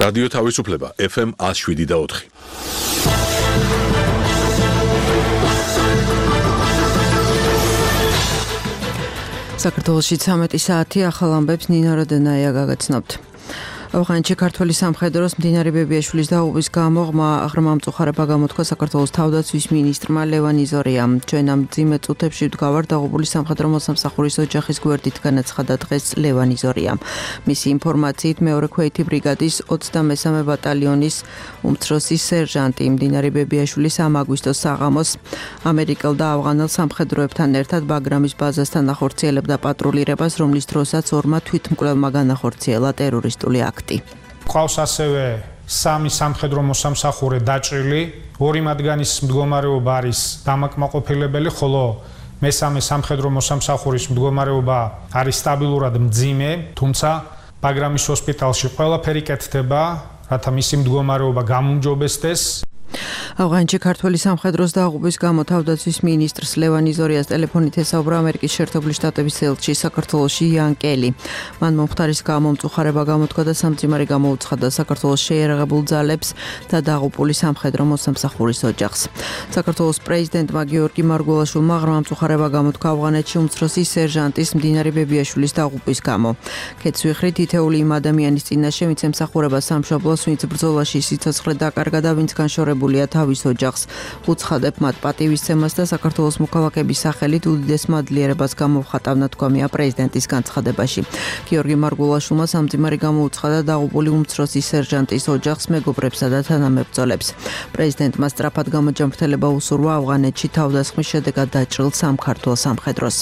რადიო თავისუფლება FM 107.4. საქართველოში 13 საათი ახალ ამბებს ნინა როდენაია გაგაცნობთ. ავღანეთში ქართველი სამხედროს მდინარე ბებიაშვილის დაღუპვის გამო ღრმა მწუხარება გამოთქვა საქართველოს თავდაცვის მინისტრმა ლევან იზორიამ. ჩვენ ამ მძიმე წუთებში ვდგავართ დაღუპული სამხედრო მოსამსახურის ოჯახის გვერდით, განაცხადა დღეს ლევან იზორიამ. მისი ინფორმაციით მეორე ქვეითი ბრიგადის 23 ბატალიონის უმცროსი სერჟანტი მდინარე ბებიაშვილის 3 აგვისტოს საღამოს ამერიკელ და ავღანელ სამხედროებთან ერთად ბაგრამის ბაზასთან ახორციელებდა პატრულირებას, რომლის დროსაც ორმა თვითმკვლელმა განახორციელა ტერორისტული აქტი. ყავს ასევე 3 სამხედრო მოსამსახურე დაჭრილი, 2 მათგანის მდგომარეობა არის დამაკმაყოფილებელი, ხოლო მესამე სამხედრო მოსამსახურის მდგომარეობა არის სტაბილურად მძიმე, თუმცა ბაგრამის ჰოსპიტალში ყველაფერი კეთდება, რათა მისი მდგომარეობა გამუმჯობესდეს. ავღანეთში ქართველი სამხედროს დაღუპვის გამო თავდაცვის მინისტრს ლევან იზორიას ტელეფონით ესაუბრა ამერიკის შეერთებული შტატების ელჩი საქართველოში იან კელი. მან მომხდარის გამო მწუხარება გამოთქვა და სამძიმარი გამოუცხადა საქართველოს შეიარაღებულ ძალებს და დაღუპული სამხედრო მოსამსახურის ოჯახს. საქართველოს პრეზიდენტმა გიორგი მარგველაშვილმა ღრმა მწუხარება გამოთქვა ავღანეთში უმცროსი სერჟანტის მდინარე ბებიაშვილის დაღუპვის გამო. ქეცვიხრით ითეული იმ ადამიანის წინაშე, ვინც ემსახურება სამშობლოს, ვინც ბრძოლაში სიცოცხლე დაკარგა და ვინც განშორებულია თავის ოჯახს. უცხადებ მათ პატივისცემას და საქართველოს მოქალაქეების სახელით უდიდეს მადლიერებას გამოვხატავნა, თქვამია პრეზიდენტის განცხადებაში. გიორგი მარგველაშვილმა სამძიმარი გამოუცხადა დაღუპული უმცროსი სერჟანტის ოჯახს, მეგობრებსა და თანამებრძოლებს. პრეზიდენტმა სწრაფად გამოჯამრთელება უსურვა ავღანეთში თავდასხმის შედეგად დაჭრილ სამქართულ სამხედროს.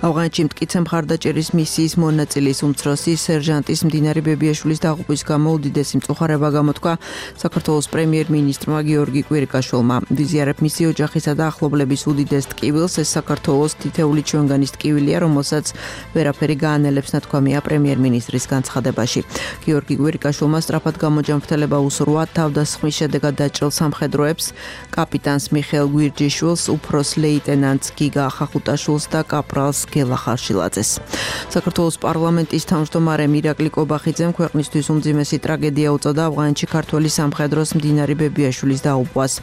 ავღანეთში მტკიცე მხარდაჭერის მისიის მონაწილის უმცროსი სერჟანტის მდინარე ბებიაშვილის დაღუპვის გამო უდიდესი მწუხარება გამოთქვა საქართველოს პრემიერ-მინისტრმა გიორგი კვირიკაშვილმა. ვიზიარებ მისი ოჯახისა და ახლობლების უდიდეს ტკივილს, ეს საქართველოს თითეული ჩვენგანის ტკივილია, რომელსაც ვერაფერი გაანელებს, ნათქვამია პრემიერ-მინისტრის განცხადებაში. გიორგი კვირიკაშვილმა სწრაფად გამოჯამრთელება უსურვა თავდასხმის შედეგად დაჭრილ სამხედროებს, კაპიტანს მიხეილ გვირჯიშვილს, უფროს ლეიტენანტს გიგა ხახუტაშვილს და კაპრალს გელა ხარშილაძეს. საქართველოს პარლამენტის თავმჯდომარემ ირაკლი კობახიძემ ქვეყნისთვის უმძიმესი ტრაგედია უწოდა ავღანეთში ქართველი სამხედროს მდინარე ბებიაშვილის დაღუპვას.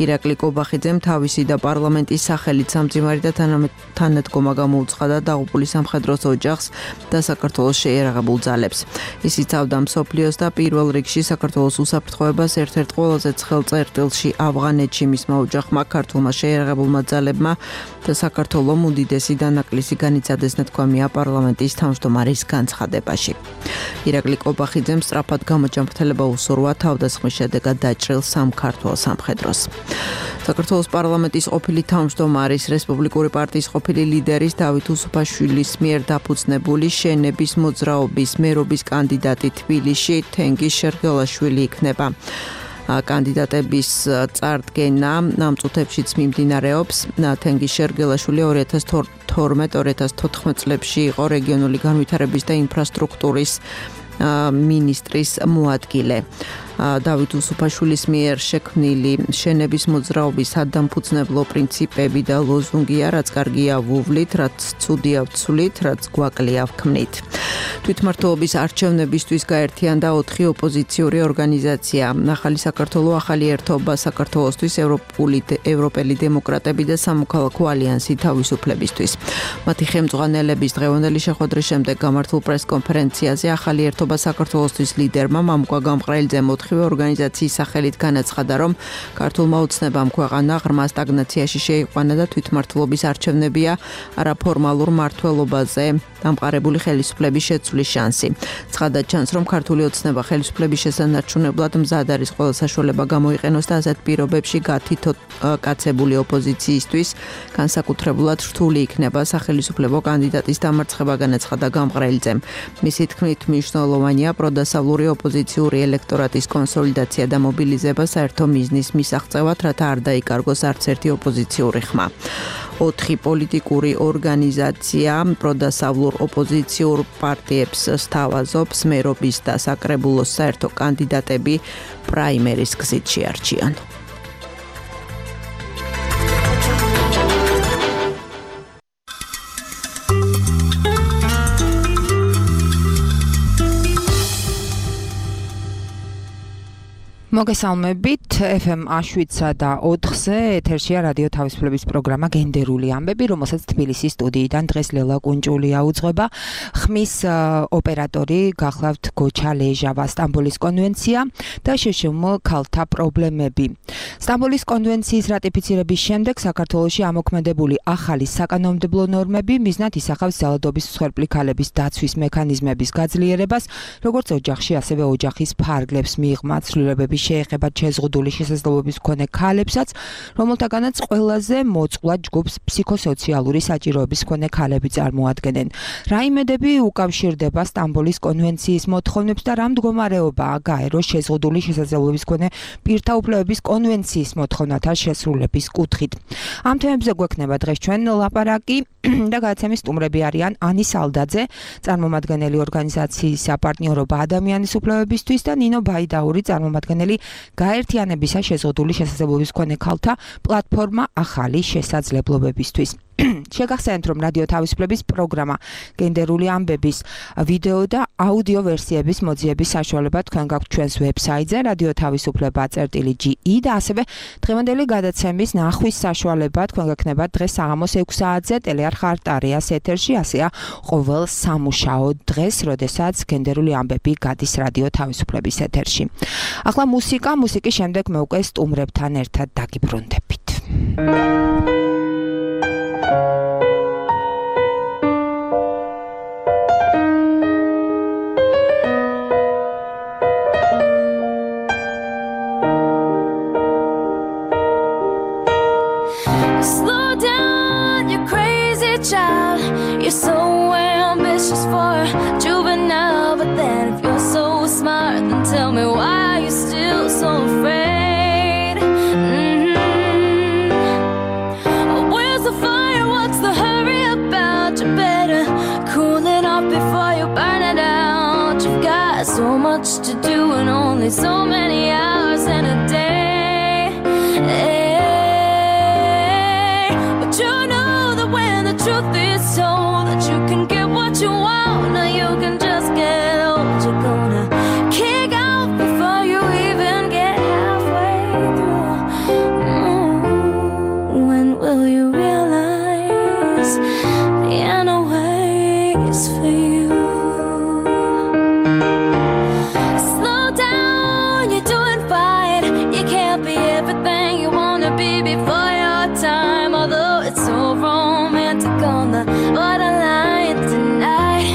ირაკლი კობახიძემ თავისი და პარლამენტის სახელით სამძიმარი და თანადგომა გამოუცხადა დაღუპული სამხედროს ოჯახს და საქართველოს შეიარაღებულ ძალებს. ის იცავდა მსოფლიოს და პირველ რიგში საქართველოს უსაფრთხოებას ერთ-ერთ ყველაზე ცხელ წერტილში ავღანეთში მისმა ოჯახმა, ქართულმა შეიარაღებულმა ძალებმა და საქართველოს უდიდესი დანაკლისი განიცადეს, ნათქვამია პარლამენტის თავმჯდომარის განცხადებაში. ირაკლი კობახიძემ სწრაფად გამოჯამრთელება უსურვა თავდასხმის შედეგად დაჭრილ სამქართულ სამხედროს. საქართველოს პარლამენტის ყოფილი თავმჯდომარის, რესპუბლიკური პარტიის ყოფილი ლიდერის დავით უსუფაშვილის მიერ დაფუძნებული შენების მოძრაობის მერობის კანდიდატი თბილისში თენგიზ შერგელაშვილი იქნება. კანდიდატების წარდგენა ამ წუთებშიც მიმდინარეობს. თენგიზ შერგელაშვილი 2012-2014 წლებში იყო რეგიონული განვითარების და ინფრასტრუქტურის მინისტრის მოადგილე. დავით უსუფაშვილის მიერ შექმნილი შენების მოძრაობის სადამფუძნებლო პრინციპები და ლოზუნგია, რაც კარგია ვუვლით, რაც ცუდია ვცვლით, რაც გვაკლია ვქმნით. თვითმმართველობის არჩევნებისთვის გაერთიანდა 4 ოპოზიციური ორგანიზაცია: ახალი საქართველო, ახალი ერთობა საქართველოსთვის, ევროპელი დემოკრატები და სამოქალაქო ალიანსი თავისუფლებისთვის. მათი ხელმძღვანელების დღევანდელი შეხვედრის შემდეგ გამართულ პრესკონფერენციაზე ახალი ერთობა საქართველოსთვის ლიდერმა მამუკა გამყრელიძე 4 ორგანიზაციის სახელით განაცხადა, რომ ქართულმა ოცნებამ ქვეყანა ღრმა სტაგნაციაში შეიყვანა და თვითმმართველობის არჩევნებია არაფორმალურ მმართველობაზე დამყარებული ხელისუფლების შეცვლის შანსი. ცხადად ჩანს, რომ ქართული ოცნება ხელისუფლების შესანარჩუნებლად მზად არის ყველა საშუალება გამოიყენოს და ასეთ პირობებში გათითო-კაცებული ოპოზიციისთვის განსაკუთრებულად რთული იქნება სახელისუფლებო კანდიდატის დამარცხება, განაცხადა გამყრელიძემ. მისი თქმით, მნიშვნელოვანია პროდასავლური ოპოზიციური ელექტორატის კონსოლიდაცია და მობილიზება საერთო მიზნის მისაღწევად, რათა არ დაიკარგოს არც ერთი ოპოზიციური ხმა. 4 პოლიტიკური ორგანიზაცია პროდასავლურ ოპოზიციურ პარტიებს სთავაზობს მერობის და საკრებულოს საერთო კანდიდატები პრაიმერის გზით შეარჩიან. მოგესალმებით FM A7-სა და 4-ზე ეთერშია რადიო თავისუფლების პროგრამა გენდერული ამბები, რომელსაც თბილისის სტუდიიდან დღეს ლელა კუნჭულია უძღვება. ხმის ოპერატორი გახლავთ გოჩა ლეჟავა, სტამბოლის კონვენცია და შეშმ ქალთა პრობლემები. სტამბოლის კონვენციის რატიფიცირების შემდეგ საქართველოში ამოქმედებული ახალი საკანონმდებლო ნორმები მიზნად ისახავს ძალადობის მსხვერპლი ქალების დაცვის მექანიზმების გაძლიერებას, როგორც ოჯახში, ასევე ოჯახის ფარგლებს მიღმა ცვლილებების შეეხება შეზღუდული შესაძლებლობის მქონე ქალებსაც, რომელთაგანაც ყველაზე მოწყვლად ჯგუფს ფსიქოსოციალური საჭიროების მქონე ქალები წარმოადგენენ. რა იმედები უკავშირდება სტამბოლის კონვენციის მოთხოვნებს და რა მდგომარეობაა გაეროს შეზღუდული შესაძლებლობის მქონე პირთა უფლებების კონვენციის მოთხოვნათა შესრულების კუთხით. ამ თემებზე გვექნება დღეს ჩვენ ლაპარაკი და გადაცემის სტუმრები არიან ანი სალდაძე, წარმომადგენელი ორგანიზაციის საპარტნიორობა ადამიანის უფლებებისთვის და ნინო ბაიდაური, წარმომადგენელი გაერთიანებისა შეზღუდული შესაძლებლობის მქონე ქალთა პლატფორმა ახალი შესაძლებლობებისთვის. შეგახსენებთ, რომ რადიო თავისუფლების პროგრამა გენდერული ამბების ვიდეო და აუდიო ვერსიების მოძიების საშუალება თქვენ გაქვთ ჩვენს ვებსაიტზე radiotavisupleba.ge და ასევე დღევანდელი გადაცემის ნახვის საშუალება თქვენ გექნება დღეს საღამოს 6 საათზე ტელეარხ არტარიას ეთერში, ასეა ყოველ სამუშაო დღეს, როდესაც გენდერული ამბები გადის რადიო თავისუფლების ეთერში. ახლა მუსიკის შემდეგ მე უკვე სტუმრებთან ერთად დაგიბრუნდებით. Slow down, you crazy child. You're so ambitious for a juvenile, but then if you're so smart, then tell me why are you still so afraid? Where's the fire? What's the hurry about? You better cool it off before you burn it out. You've got so much to do and only so many hours in a day. You know that when the truth is told that you can get what you want, now you can just get old. You're gonna kick out before you even get halfway through. When will you realize the end waits for you? Slow down, you're doing fine. You can't be everything you wanna be before your time, although it's so romantic on the borderline tonight.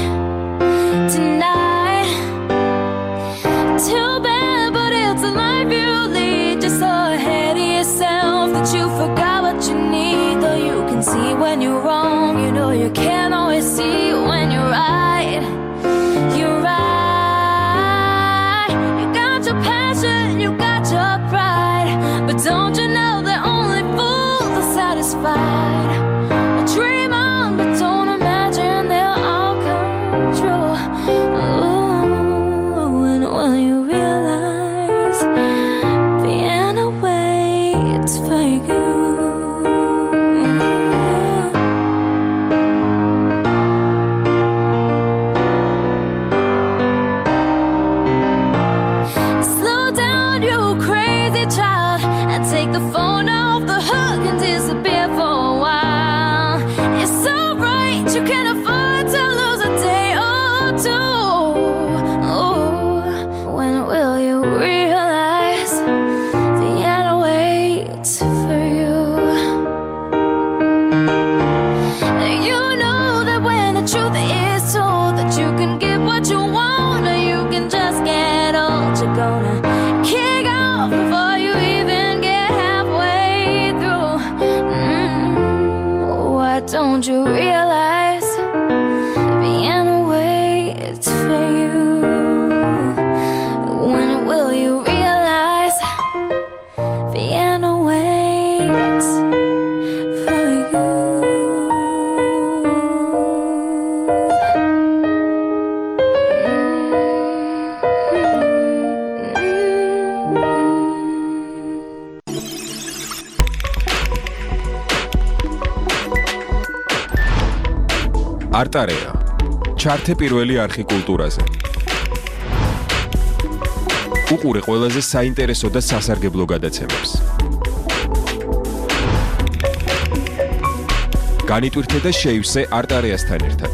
Too bad, but it's a life you lead. Just so ahead of yourself that you forgot what you need. Though you can see when you're wrong, you know you can't always see when you're right. You're right. You got your passion, you got your pride, but don't you know that only fools are satisfied? Dream on, but don't imagine they'll all come true. Ooh, when will you realize Vienna waits for you? Slow down, you crazy child, and take the phone off the hook and disappear for a while. It's so right, you can't afford to lose a day or two. Oh, when will you realize the end waits for you? You know that when the truth is told that you can get what you want, or you can just get old. You're gonna kick off before you even get halfway through. Why don't you realize Vienna waits for you? When will you realize Vienna waits for you? არტარია. ჩართე პირველი არხი კულტურაზე. უყურე ყველაზე საინტერესო და სასარგებლო გადაცემებს. განიტვირთე და შეივსე არტარიასთან ერთად.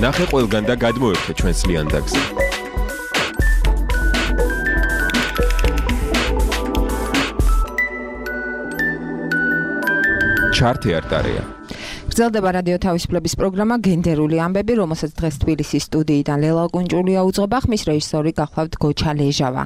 ნახე ყველგან და გადმოერთე ჩვენს ლიანდაგზე. ჩარტი არტარია. გრძელდება რადიო თავისუფლების პროგრამა გენდერული ამბები, რომელსაც დღეს თბილისის სტუდიიდან ლელა კუნჭულია უძღვება, ხმის რეჟისორი გახლავთ გოჩა ლეჟავა.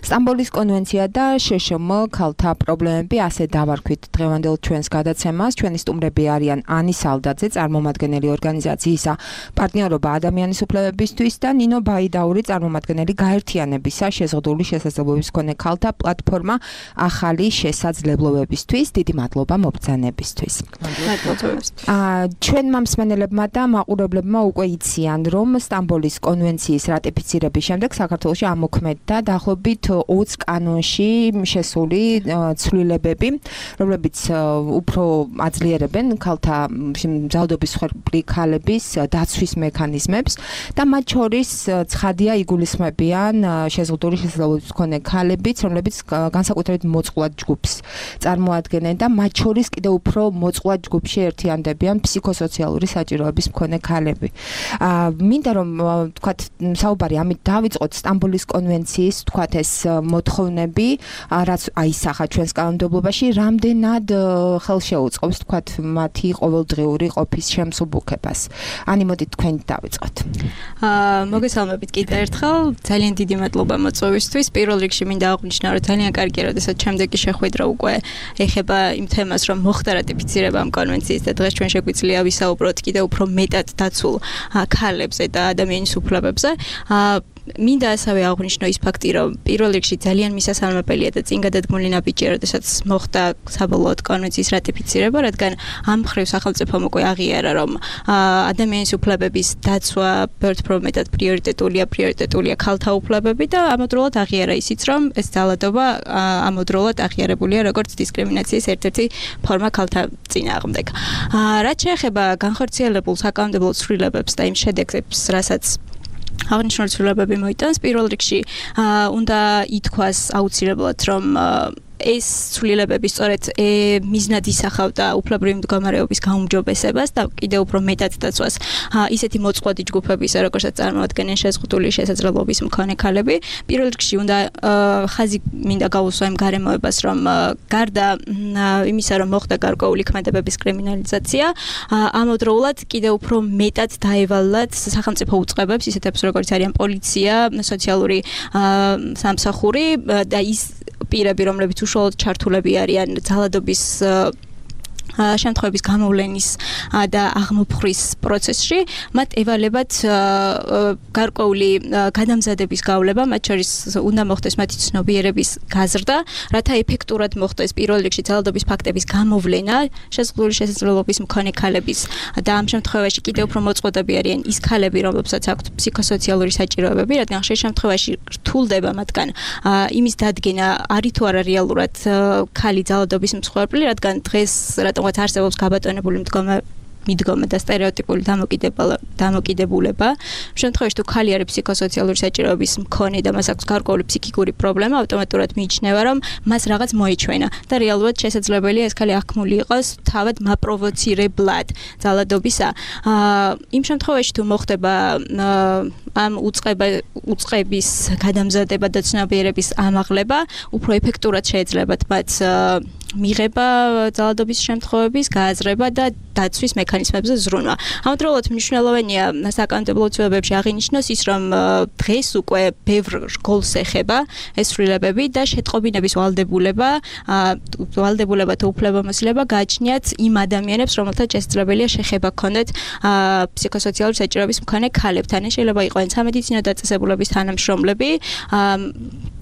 სტამბოლის კონვენცია და შშმ ქალთა პრობლემები, ასე დავარქვით დღევანდელ ჩვენს გადაცემას. ჩვენი სტუმრები არიან ანი სალდაძე, წარმომადგენელი ორგანიზაციისა პარტნიორობა ადამიანის უფლებებისთვის და ნინო ბაიდაური, წარმომადგენელი გაერთიანებისა შეზღუდული შესაძლებლობების მქონე ქალთა პლატფორმა ახალი შესაძლებლობებისთვის. დიდი მადლობა მობრძანებისთვის. ჩვენმა მსმენელებმა და მაყურებლებმა უკვე იციან, რომ სტამბოლის კონვენციის რატიფიცირების შემდეგ საქართველოში ამოქმედდა დაახლოებით 20 კანონში შესული ცვლილებები, რომლებიც უფრო აძლიერებენ ქალთა მზადობის მსხვერპლი ქალების დაცვის მექანიზმებს და მათ შორის ცხადია იგულისხმებიან შეზღუდული შესაძლებლობების მქონე ქალებიც, რომლებიც განსაკუთრებით მოწყვლად ჯგუფს წარმოადგენენ და მათ შორის კიდევ უფრო მოწყვლად ჯგუფში ერთიანდებიან ფსიქოსოციალური საჭიროების მქონე ქალები. მინდა რომ თქვათ საუბარი ამით დავიწყოთ სტამბოლის კონვენციის თქვათ ეს მოთხოვნები, რაც აისახა ჩვენს კანონმდებლობაში, რამდენად ხელშეუწყობს თქვათ მათი ყოველდღიური ყოფის შემსუბუქებას. ანი მოდით თქვენი დავიწყოთ. მოგესალმებით კიდევ ერთხელ. ძალიან დიდი მადლობა მოწვევისთვის. პირველ რიგში მინდა აღვნიშნო, რომ ძალიან კარგია, როდესაც შემდეგი შეხვედრა უკვე ეხება იმ თემას, რომ მოხდა რატიფიცირება ამ კონვენციის და დღეს ჩვენ შეგვიძლია ვისაუბროთ კიდევ უფრო მეტად დაცულ ქალებზე და ადამიანის უფლებებზე. მინდა ასევე აღვნიშნო ის ფაქტი, რომ პირველ რიგში ძალიან მისასალმებელია და წინ გადადგმული ნაბიჯია, როდესაც მოხდა საბოლოოდ კონვენციის რატიფიცირება, რადგან ამ მხრივ სახელმწიფომ უკვე აღიარა, რომ ადამიანის უფლებების დაცვა ბევრ უფრო მეტად პრიორიტეტულია ქალთა უფლებები და ამავდროულად აღიარა ისიც, რომ ეს ძალადობა ამავდროულად აღიარებულია როგორც დისკრიმინაციის ერთ-ერთი ფორმა ქალთა წინააღმდეგ. რაც შეეხება განხორციელებულ საკანონმდებლო ცვლილებებს და იმ შედეგებს, რასაც აღნიშნული ცვლილებები მოიტანს, პირველ რიგში უნდა ითქვას აუცილებლად, რომ ეს ცვლილებები სწორედ მიზნად ისახავდა უფლებრივი მდგომარეობის გაუმჯობესებას და კიდევ უფრო მეტად დაცვას ისეთი მოწყვლადი ჯგუფებისა, როგორცაც წარმოადგენენ შეზღუდული შესაძლებლობის მქონე ქალები. პირველ რიგში უნდა ხაზი მინდა გაუსვა იმ გარემოებას, რომ გარდა იმისა, რომ მოხდა გარკვეული ქმედებების კრიმინალიზაცია, ამავდროულად კიდევ უფრო მეტად დაევალათ სახელმწიფო უწყებებს, ისეთებს როგორც არიან პოლიცია, სოციალური სამსახური და ის პირები, რომლებიც უშუალოდ ჩართულები არიან ძალადობის შემთხვევების გამოვლენის და აღმოფხრის პროცესში, მათ ევალებათ გარკვეული გადამზადების გავლება, მათ შორის უნდა მოხდეს მათი ცნობიერების გაზრდა, რათა ეფექტურად მოხდეს პირველ რიგში ძალადობის ფაქტების გამოვლენა შეზღუდული შესაძლებლობის მქონე ქალების და ამ შემთხვევაში კიდევ უფრო მოწყვლადები არიან ის ქალები, რომლებსაც აქვთ ფსიქოსოციალური საჭიროებები, რადგან ხშირ შემთხვევაში რთულდება მათგან იმის დადგენა, არის თუ არა რეალურად ქალი ძალადობის მსხვერპლი, რადგან დღეს რატომღაც არსებობს გაბატონებული მიდგომა და სტერეოტიპული დამოკიდებულება. შემთხვევაში თუ ქალი არის ფსიქოსოციალური საჭიროების მქონე და მას აქვს გარკვეული ფსიქიკური პრობლემა, ავტომატურად მიიჩნევა, რომ მას რაღაც მოიჩვენა და რეალურად შესაძლებელია ეს ქალი აღქმული იყოს თავად მაპროვოცირებლად ძალადობისა. იმ შემთხვევაში თუ მოხდება ამ უწყების გადამზადება და ცნობიერების ამაღლება, უფრო ეფექტურად შეეძლებათ მათ მიღება ძალადობის შემთხვევების გააზრება და დაცვის მექანიზმებზე ზრუნვა. ამავდროულად მნიშვნელოვანია საკანონმდებლო ცვლილებებში აღინიშნოს ის, რომ დღეს უკვე ბევრ რგოლს ეხება ეს ცვლილებები და შეტყობინების ვალდებულება თუ უფლებამოსილება გააჩნიათ იმ ადამიანებს, რომელთაც შესაძლებელია შეხება ქონდეთ ფსიქოსოციალური საჭიროების მქონე ქალებთან. შეიძლება იყვნენ სამედიცინო დაწესებულების თანამშრომლები,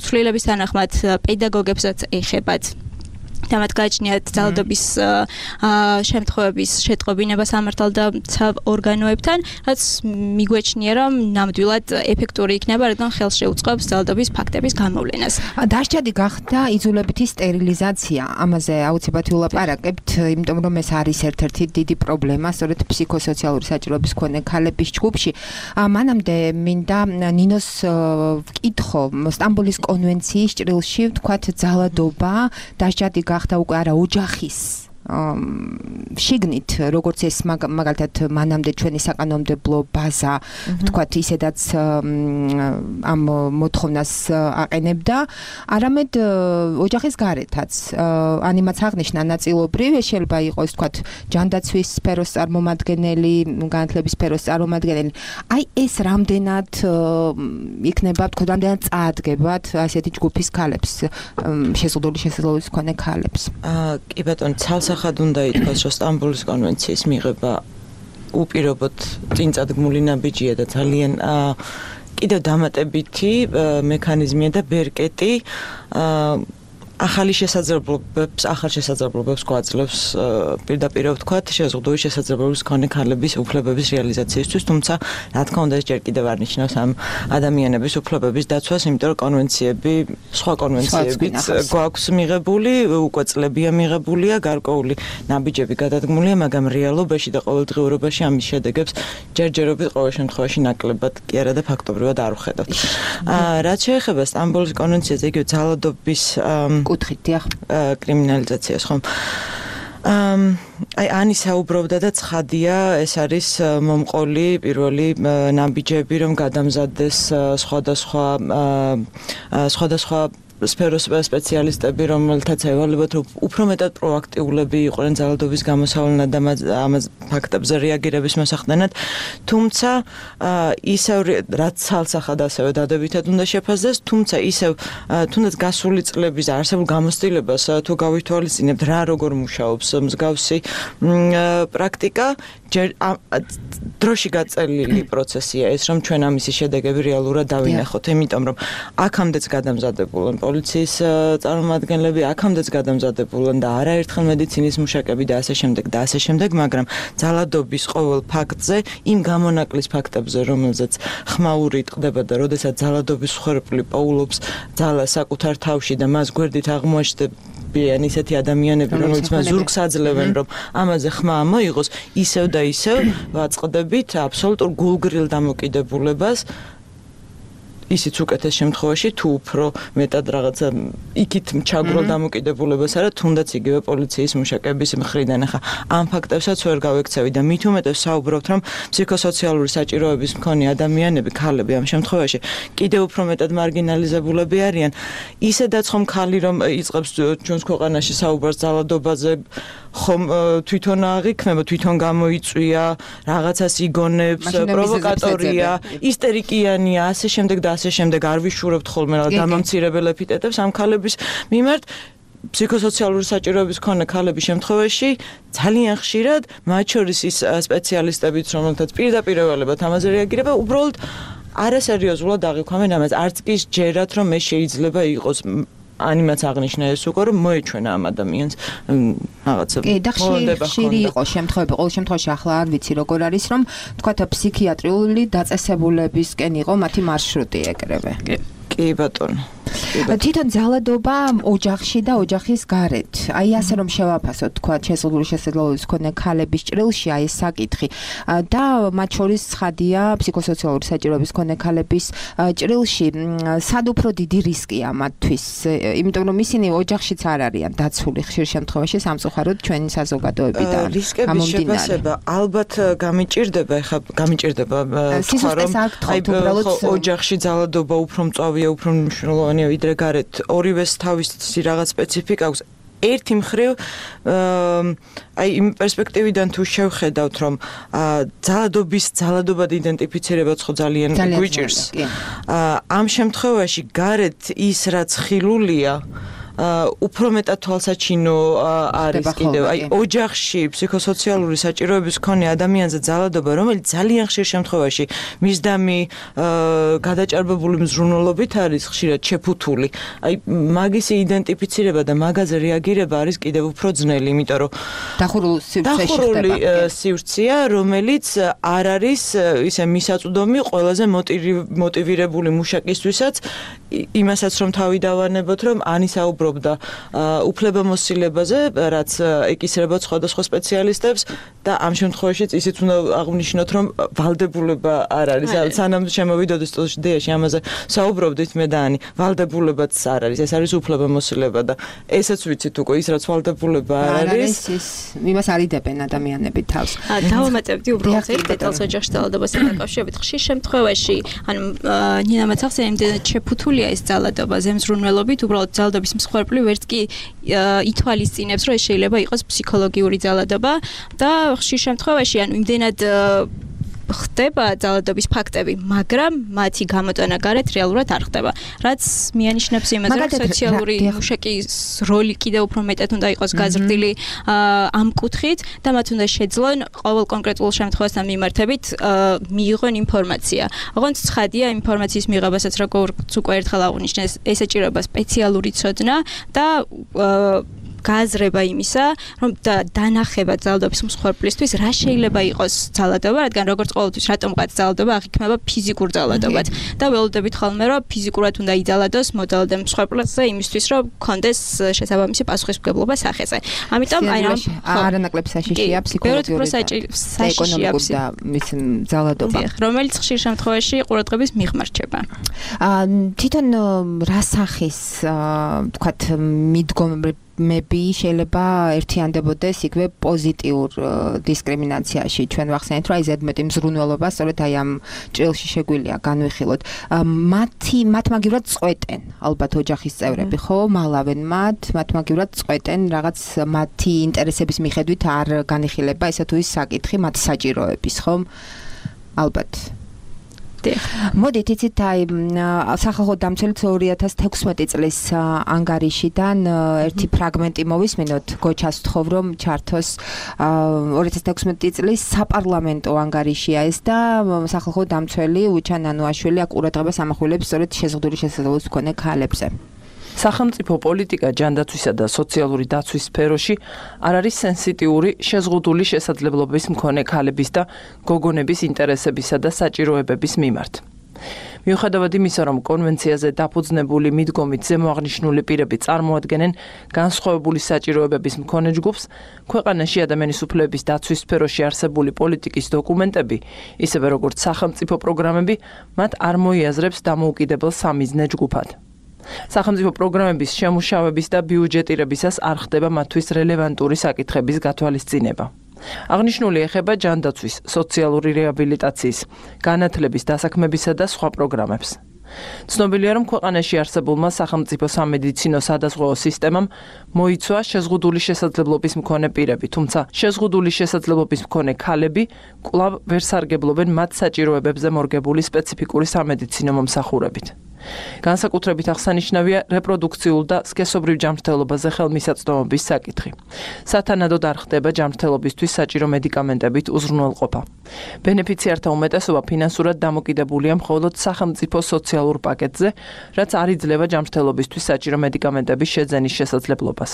ცვლილების თანახმად პედაგოგებსაც ეხებათ. და მათ გააჩნიათ ძალადობის შემთხვევების შეტყობინება სამართალდამცავ ორგანოებთან, რაც მიგვეჩნია, რომ ნამდვილად ეფექტური იქნება, რადგან ხელს შეუწყობს ძალადობის ფაქტების გამოვლენას. დასჯადი გახდა იძულებითი სტერილიზაცია. ამაზე აუცილებლად ვილაპარაკებთ, იმიტომ რომ ეს არის ერთ-ერთი დიდი პრობლემა, სწორედ ფსიქოსოციალური საჭიროების მქონე ქალების ჯგუფში. მანამდე მინდა ნინოს ვკითხო, სტამბოლის კონვენციის ჭრილში ვთქვათ ძალადობა დასჯადი გახდა უკვე არა ოჯახის შიგნით, როგორც ეს მაგალითად მანამდე ჩვენი საკანონმდებლო ბაზა, ვთქვათ, ისედაც ამ მოთხოვნას აყენებდა, არამედ ოჯახის გარეთაც. ანიმაც აღნიშნა ნაწილობრივ, ეს შეიძლება იყოს, ვთქვათ, ჯანდაცვის სფეროს წარმომადგენელი, განათლების სფეროს წარმომადგენელი. აი ეს რამდენად იქნება, ვთქვათ, რამდენად წაადგებათ ასეთი ჯგუფის ქალებს, შეზღუდული შესაძლებლობის მქონე ქალებს. კი ბატონო, ხად უნდა ითქვას, რომ სტამბოლის კონვენციის მიღება უპირობოდ წინწადგმული ნაბიჯია და ძალიან კიდევ დამატებითი მექანიზმია და ბერკეტი ახალ შესაძლებლობებს გვაძლევს პირდაპირ ვთქვათ შეზღუდული შესაძლებლობის მქონე ქალების უფლებების რეალიზაციისთვის, თუმცა რა თქმა უნდა ეს ჯერ კიდევ არ ნიშნავს ამ ადამიანების უფლებების დაცვას, იმიტომ რომ კონვენციები, სხვა კონვენციებიც გვაქვს მიღებული, უკვე წლებია მიღებულია, გარკვეული ნაბიჯები გადადგმულია, მაგრამ რეალობაში და ყოველდღიურობაში ამის შედეგებს ჯერჯერობით ყოველ შემთხვევაში ნაკლებად კი არა და ფაქტობრივად არ ვხედავთ. რაც შეეხება სტამბოლის კონვენციაზე, იგივე ძალადობის კუთხით, დიახ, კრიმინალიზაციას, ხომ? აი ანი საუბრობდა და ცხადია, ეს არის მომყოლი პირველი ნაბიჯები, რომ გადამზადდეს სხვადასხვა სფეროს სპეციალისტები, რომელთაც ევალებათ, რომ უფრო მეტად პროაქტიულები იყვნენ ძალადობის გამოსავლენად და ამას ფაქტებზე რეაგირების მოსახდენად, თუმცა ისევ რაც ცალსახად ასევე დადებითად უნდა შეფასდეს, თუმცა ისევ თუნდაც გასული წლების არსებულ გამოცდილებას თუ გავითვალისწინებთ, რა როგორ მუშაობს მსგავსი პრაქტიკა, დროში გაწელილი პროცესია ეს, რომ ჩვენ ამისი შედეგები რეალურად დავინახოთ, იმიტომ რომ აქამდეც გადამზადებულან პოლიციის წარმომადგენლები, აქამდეც გადამზადებულან და არაერთხელ მედიცინის მუშაკები და ასე შემდეგ, მაგრამ ძალადობის ყოველ ფაქტზე, იმ გამონაკლის ფაქტებზე, რომელზეც ხმაური ტყდება და როდესაც ძალადობის მსხვერპლი პოულობს ძალას საკუთარ თავში და მას გვერდით აღმოაჩნდებიან ისეთი ადამიანები, რომლებიც მას ზურგს აძლევენ, რომ ამაზე ხმა მოიღოს, ისევ და ისევ ვაწყდებით აბსოლუტურ გულგრილ დამოკიდებულებას ისიც უკეთეს შემთხვევაში თუ უფრო მეტად რაღაცა იქით ჩაგროლ დამოკიდებულებას არა თუნდაც იგივე პოლიციის მუშაკების მხრიდან ახლა ამ ფაქტებსაც ვერ გავექცევი და მით უმეტეს საუბრობთ რომ ფსიქოსოციალური საჭიროების მქონე ადამიანები ქალები ამ შემთხვევაში კიდევ უფრო მეტად მარგინალიზებულები არიან ისედაც ხომ ქალი რომ იწყებს ჩვენს ქვეყანაში საუბარს ძალადობაზე ხომ თვითონ აღიქმება თვითონ გამოიწვია რაღაცას იგონებს პროვოკატორია ისტერიკიანია ასე შემდეგ და ასე შემდეგ არ ვიშურებთ ხოლმე რა დამამცირებელ ეპიტეტებს ამ ქალების მიმართ ფსიქოსოციალური საჭიროების მქონე ქალების შემთხვევაში ძალიან ხშირად მათ შორის ის სპეციალისტებიც რომელთაც პირდაპირ ევალებათ ამაზე რეაგირება უბრალოდ არასერიოზულად აღიქვამენ ამას არც კი ჯერათ რომ ეს შეიძლება იყოს ანიმაც აღნიშნა ეს უკვე რომ მოეჩვენა ამ ადამიანს რაღაცა ხშირი იყო შემთხვევები ყოველ შემთხვევაში ახლა არ ვიცი როგორ არის რომ თქვათ ფსიქიატრიული დაწესებულებისკენ იყო მათი მარშრუტი ეკრევე კი ბატონო თვითონ ძალადობა ოჯახში და ოჯახის გარეთ. აი ასე რომ შევაფასოთ, თქვა შეზღუდული შესაძლებლობის მქონე ქალების ჭრილში აი ეს საკითხი და მათ შორის ცხადია ფსიქოსოციალური საჭიროების მქონე ქალების ჭრილში სად უფრო დიდი რისკია მათთვის, იმიტომ რომ ისინი ოჯახშიც არ არიან დაცული ხშირ შემთხვევაში სამწუხაროდ ჩვენი საზოგადოებიდან. რისკების შეფასება ალბათ გამიჭირდება, თქვა რომ აი ოჯახში ძალადობა უფრო მწვავეა, უფრო მნიშვნელოვანია ვიდრე გარეთ ორივეს თავისი რაღაც სპეციფიკა აქვს ერთი მხრივ აი იმ პერსპექტივიდან თუ შევხედავთ რომ ძალადობად იდენტიფიცირებაც ხო ძალიან გვიჭირს ამ შემთხვევაში გარეთ ის რაც ხილულია უფრო მეტად თვალსაჩინო არის კიდევ აი ოჯახში ფსიქოსოციალური საჭიროების მქონე ადამიანზე ძალადობა, რომელიც ძალიან ხშირ შემთხვევაში მისდამი გადაჭარბებული მზრუნველობით არის ხშირად შეფუთული. აი მაგის იდენტიფიცირება და მაგაზე რეაგირება არის კიდევ უფრო ძნელი, იმიტომ რომ დახურული სივრცეა, რომელიც არ არის ისე მისაწვდომი ყველაზე მოტივირებული მუშაკისთვისაც, იმასაც რომ თავი დავანებოთ, რომ ანისაუბრობდა უფლებამოსილებაზე, რაც ეკისრება სხვადასხვა სპეციალისტებს და ამ შემთხვევაშიც ისიც უნდა აღვნიშნოთ, რომ ვალდებულება არ არის. სანამ შემოვიდოდი სტუდიაში ამაზე საუბრობდით მე და ანი, ვალდებულებაც არ არის, ეს არის უფლებამოსილება და ესეც ვიცით უკვე ის რაც ვალდებულება არ არის, იმას არიდებენ ადამიანები თავს. დავამატებდი უბრალოდ ერთ დეტალს ოჯახში ძალადობასთან დაკავშირებით. ხშირ შემთხვევაში, ანუ ნინა მაცახზე იმდენად შეფუთულია ეს ძალადობა ზემზრუნველობით, უბრალოდ ძალადობის მსხვერპლი ვერც კი ითვალისწინებს, რომ ეს შეიძლება იყოს ფსიქოლოგიური ძალადობა და ხშირ შემთხვევაში, ანუ იმდენად ხდება ძალადობის ფაქტები, მაგრამ მათი გამოტანა გარეთ რეალურად არ ხდება. რაც მიანიშნებს იმაზე, რომ სოციალური მუშაკის როლი კიდევ უფრო მეტად უნდა იყოს გაზრდილი ამ კუთხით და მათ უნდა შეძლონ ყოველ კონკრეტულ შემთხვევასთან მიმართებით მიიღონ ინფორმაცია. ოღონდ ცხადია ინფორმაციის მიღებასაც როგორც უკვე ერთხელ აღვნიშნეს, ესაჭიროება სპეციალური ცოდნა და გააზრება იმისა, რომ დანახება ძალადობის მსხვერპლისთვის რა შეიძლება იყოს ძალადობა, რადგან როგორც ყოველთვის რატომღაც ძალადობა აღიქმება ფიზიკურ ძალადობად და ველოდებით ხოლმე, რომ ფიზიკურად უნდა იძალადოს მოდალადე მსხვერპლზე იმისთვის, რომ კონდეს შესაბამისი პასუხისმგებლობა სახეზე. ამიტომ აი რა არანაკლებ საშიშია ფსიქოლოგიური და ეკონომიკური და მის ძალადობა, რომელიც ხშირ შემთხვევაში ყურადღების მიღმარჩება. თვითონ რა სახის თქვათ მიდგომები შეიძლება ერთიანდებოდეს იგივე პოზიტიურ დისკრიმინაციაში. ჩვენ ვახსენეთ, რომ აი ზედმეტი მზრუნველობა სწორედ აი ამ ჭრილში შეგვიძლია განვიხილოთ. მათ მაგივრად წყვეტენ ალბათ ოჯახის წევრები, ხო? მალავენ მათ მაგივრად წყვეტენ რაღაც მათი ინტერესების მიხედვით არ განიხილება ესა თუ ის საკითხი მათ საჭიროების, ხო? ალბათ მოდით იცით აი სახალხო დამცველიც 2016 წლის ანგარიშიდან ერთი ფრაგმენტი მოვისმინოთ გოჩას ვთხოვ რომ ჩართოს 2016 წლის საპარლამენტო ანგარიშია ეს და სახალხო დამცველი უჩა ნანუაშვილი აქ ყურადღებას ამახვილებს სწორედ შეზღუდული შესაძლებლობის მქონე ქალებზე. სახელმწიფო პოლიტიკა ჯანდაცვისა და სოციალური დაცვის სფეროში არ არის სენსიტიური შეზღუდული შესაძლებლობის მქონე ქალების და გოგონების ინტერესებისა და საჭიროებების მიმართ. მიუხედავად იმისა, რომ კონვენციაზე დაფუძნებული მიდგომით ზემოაღნიშნული პირები წარმოადგენენ განსხვავებული საჭიროებების მქონე ჯგუფს, ქვეყანაში ადამიანის უფლებების დაცვის სფეროში არსებული პოლიტიკის დოკუმენტები, ისევე როგორც სახელმწიფო პროგრამები, მათ არ მოიაზრებს დამოუკიდებელ სამიზნე ჯგუფად. სახელმწიფო პროგრამების შემუშავების და ბიუჯეტირებისას არ ხდება მათთვის რელევანტური საკითხების გათვალისწინება. აღნიშნული ეხება ჯანდაცვის, სოციალური რეაბილიტაციის, განათლების დასაქმებისა და სხვა პროგრამებს. ცნობილია, რომ ქვეყანაში არსებულმა სახელმწიფო სამედიცინო სადაზღვეო სისტემამ მოიცვა შეზღუდული შესაძლებლობის მქონე პირები, თუმცა შეზღუდული შესაძლებლობის მქონე ქალები კვლავ ვერ სარგებლობენ მათ საჭიროებებზე მორგებული სპეციფიკური სამედიცინო მომსახურებით. განსაკუთრებით აღსანიშნავია რეპროდუქციულ და სქესობრივ ჯანმრთელობაზე ხელმისაწვდომობის საკითხი. სათანადოდ არ ხდება ჯანმრთელობისთვის საჭირო მედიკამენტებით უზრუნველყოფა. ბენეფიციართა უმეტესობა ფინანსურად დამოკიდებულია მხოლოდ სახელმწიფო სოციალურ პაკეტზე, რაც არ იძლევა ჯანმრთელობისთვის საჭირო მედიკამენტების შეძენის შესაძლებლობას.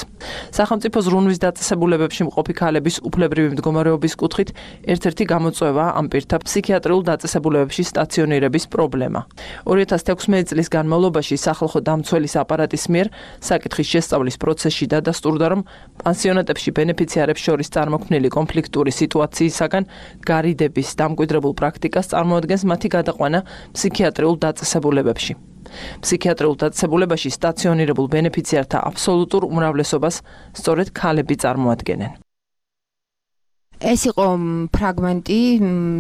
სახელმწიფო ზრუნვის დაწესებულებებში მყოფი ქალების უფლებრივი მდგომარეობის კუთხით ერთ-ერთი გამოწვევაა ამ პირთა ფსიქიატრიულ დაწესებულებებში სტაციონირების პრობლემა. 2016 წლის განმავლობაში სახალხო დამცველის აპარატის მიერ საკითხის შესწავლის პროცესში დადასტურდა, რომ პანსიონატებში ბენეფიციარებს შორის წარმოქმნილი კონფლიქტური სიტუაციისაგან გარიდების დამკვიდრებულ პრაქტიკას წარმოადგენს მათი გადაყვანა ფსიქიატრიულ დაწესებულებებში. ფსიქიატრიულ დაწესებულებაში სტაციონირებულ ბენეფიციართა აბსოლუტურ უმრავლესობას სწორედ ქალები წარმოადგენენ. ეს იყო ფრაგმენტი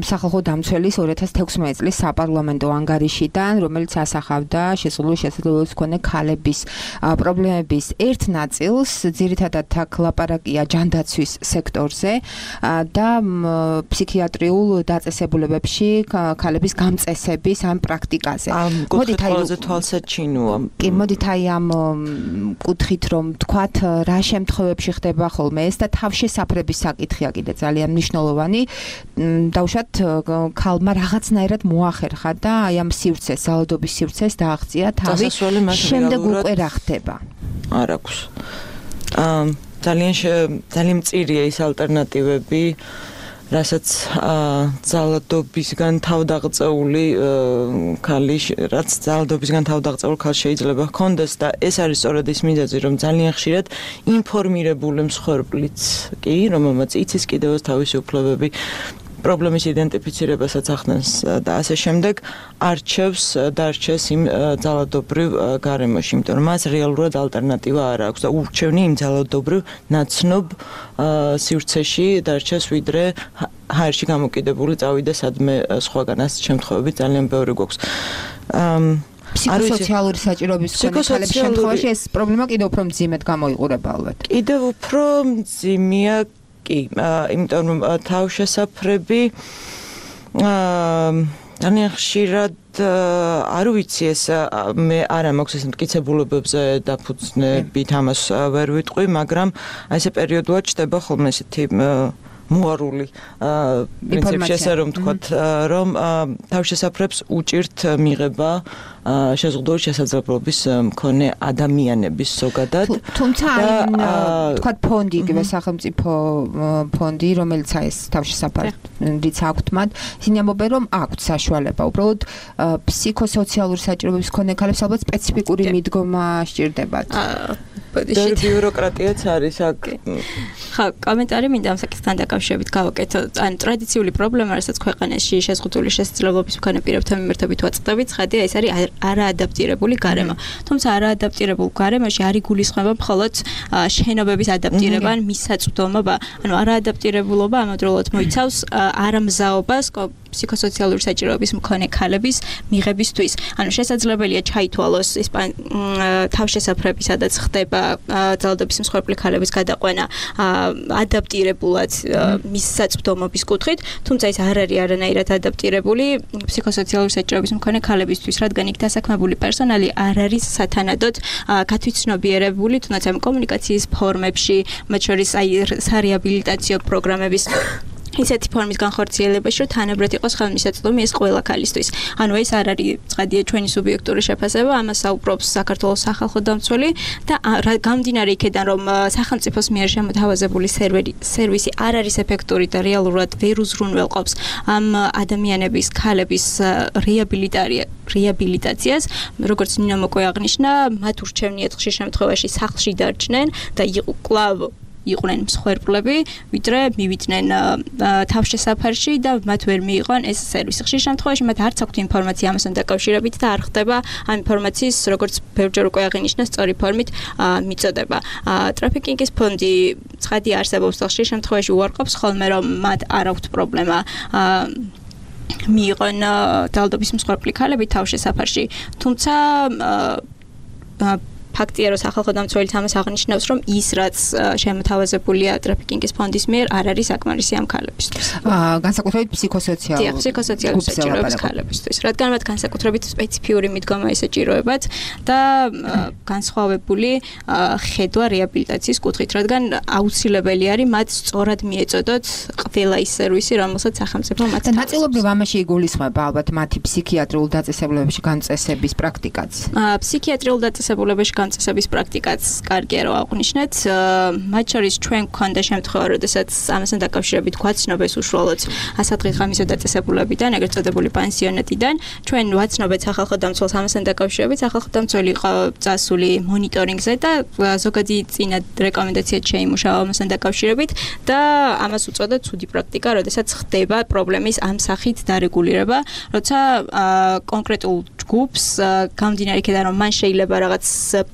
სახალხო დამცველის 2016 წლის საპარლამენტო ანგარიშიდან, რომელიც ასახავდა შეზღუდული შესაძლებლობის მქონე ქალების პრობლემების ერთ ნაწილს, ძირითადად აქ ლაპარაკია ჯანდაცვის სექტორზე და ფსიქიატრიულ დაწესებულებებში ქალების გამწესების ამ პრაქტიკაზე. მოდით აი თვალსაჩინოა. კი, მოდით აი ამ კუთხით რომ თქვათ რა შემთხვევებში ხდება ხოლმე ეს და თავშესაფრების საკითხია კიდე ძალიან მნიშვნელოვანი. დავუშვათ ქალმა რაღაცნაირად მოახერხა და აი ამ სივრცეს, ძალადობის სივრცეს დააღწია თავი. შემდეგ უკვე რა ხდება? არ აქვს. ძალიან მწირია ის ალტერნატივები, რასაც ძალადობისგან თავდაღწეული ქალი, რაც ძალადობისგან თავდაღწეულ ქალს შეიძლება ჰქონდეს და ეს არის სწორედ ის მიზეზი, რომ ძალიან ხშირად ინფორმირებული მსხვერპლიც კი, რომელმაც იცის კიდევ თავისი უფლებები, პრობლემის იდენტიფიცირებასაც ახდენს და ასე შემდეგ არჩევს დარჩეს იმ ძალადობრივ გარემოში, იმიტომ რომ მას რეალურად ალტერნატივა არ აქვს და ურჩევნი იმ ძალადობრივ ნაცნობ სივრცეში დარჩეს, ვიდრე ჰაერში გამოკიდებული წავიდა სადმე სხვაგან. ასეთ შემთხვევები ძალიან ბევრი გვაქვს. ფსიქოსოციალური საჭიროების ქალების შემთხვევაში ეს პრობლემა კიდევ უფრო მძიმედ გამოიყურება ალბათ. კიდევ უფრო მძიმეა კი, იმიტომ რომ თავშესაფრები ძალიან ხშირად არ ვიცი ეს მე არა მაქვს ეს მტკიცებულებებზე დაფუძნებით ამას ვერ ვიტყვი, მაგრამ აი ესე პერიოდულად ჩდება ხოლმე ესეთი მოარული პრინციპი, ესე რომ თქვათ, რომ თავშესაფრებს უჭირთ მიღება შეზღუდული შესაძლებლობის მქონე ადამიანების ზოგადად. თუმცა თქვათ ფონდი, იგივე სახელმწიფო ფონდი, რომელიც ეს თავშესაფრიც აქვთ მათ, ისინი ამბობენ, რომ აქვთ საშუალება. უბრალოდ ფსიქოსოციალური საჭიროების მქონე ქალებს ალბათ სპეციფიკური მიდგომა სჭირდებათ. ბიუროკრატიაც არის აქ. ხა, კომენტარი მინდა ამ საკითხთან დაკავშირებით გავაკეთო. ან ტრადიციული პრობლემა, რასაც ქვეყანაში შეზღუდული შესაძლებლობის მქონე პირებთან მიმართებით ვაწყდებით, ცხადია, ეს არის არაადაპტირებული გარემო. თუმცა არაადაპტირებულ გარემოში არ იგულისხმება მხოლოდ შენობების ადაპტირება, ან მისაწვდომობა. ანუ არაადაპტირებულობა ამავდროულად მოიცავს არამზაობას ფსიქოსოციალური საჭიროების მქონე ქალების მიღებისთვის. ანუ შესაძლებელია ჩაითვალოს ის თავშესაფრები, სადაც ხდება ძალადობის მსხვერპლი ქალების გადაყვანა ადაპტირებულად მის საწვდომობის კუთხით, თუმცა ეს არ არის არანაირად ადაპტირებული ფსიქოსოციალური საჭიროების მქონე ქალებისთვის, რადგან იქ დასაქმებული პერსონალი არ არის სათანადოდ გათვითცნობიერებული, თუნდაც ამ კომუნიკაციის ფორმებში, მათ შორის აი სარეაბილიტაციო პროგრამების ისეთი ფორმის განხორციელებაში, რომ თანაბრად იყოს ხელმისაწვდომი ეს ყველა ქალისთვის. ანუ ეს არ არის ცხადია ჩვენი სუბიექტური შეფასება, ამას საუბრობს საქართველოს სახალხო დამცველი და გამდინარე იქიდან, რომ სახელმწიფოს მიერ შემოთავაზებული სერვისი არ არის ეფექტური და რეალურად ვერ უზრუნველყოფს ამ ადამიანების, ქალების რეაბილიტაციას, როგორც ნინო მოკვე აღნიშნა, მათ ურჩევნიათ ხშირ შემთხვევაში სახლში დარჩნენ და კვლავ იყვნენ მსხვერპლები, ვიდრე მივიდნენ თავშესაფარში და მათ ვერ მიიღონ ეს სერვისი. ხშირ შემთხვევაში მათ არც აქვთ ინფორმაცია ამასთან დაკავშირებით და არ ხდება ამ ინფორმაციის, როგორც ბევრჯერ უკვე აღინიშნა, სწორი ფორმით მიწოდება. ტრაფიკინგის ფონდი ცხადია არსებობს და ხშირ შემთხვევაში უარყოფს ხოლმე, რომ მათ არ აქვთ პრობლემა მიიღონ ძალადობის მსხვერპლი ქალები თავშესაფარში. თუმცა ფაქტია, რომ სახალხო დამცველიც ამას აღნიშნავს, რომ ის რაც შემოთავაზებულია ტრაფიკინგის ფონდის მიერ არ არის საკმარისი ამ ქალებისთვის. განსაკუთრებით ფსიქოსოციალური საჭიროების ქალებისთვის, რადგან მათ განსაკუთრებით სპეციფიური მიდგომა ესაჭიროებათ და განსხვავებული ხედვა რეაბილიტაციის კუთხით, რადგან აუცილებელი არის მათ სწორად მიეწოდოთ ყველა ის სერვისი, რომელსაც სახელმწიფო მათ და ნაწილობრივ ამაში იგულისხმება ალბათ მათი ფსიქიატრიულ დაწესებულებებში გამწესების პრაქტიკაც. ფსიქიატრიულ დაწესებულებებში გამწესების პრაქტიკაც კარგია რომ აღვნიშნეთ. მათ შორის ჩვენ გვქონდა შემთხვევა, როდესაც ამასთან დაკავშირებით გვაცნობეს უშუალოდ ასადღირგამისო დაწესებულებიდან, ეგრეთ წოდებული პანსიონატიდან. ჩვენ ვაცნობეთ სახალხო დამცველს ამასთან დაკავშირებით, სახალხო დამცველი იყო წასული მონიტორინგზე და ზოგადი წინა რეკომენდაციად შეიმუშავა ამასთან დაკავშირებით და ამას უწოდა ცუდი პრაქტიკა, როდესაც ხდება პრობლემის ამ სახით დარეგულირება, როცა კონკრეტულ ჯგუფს გამდინარე იქიდან რომ მან შეიძლება რაღაც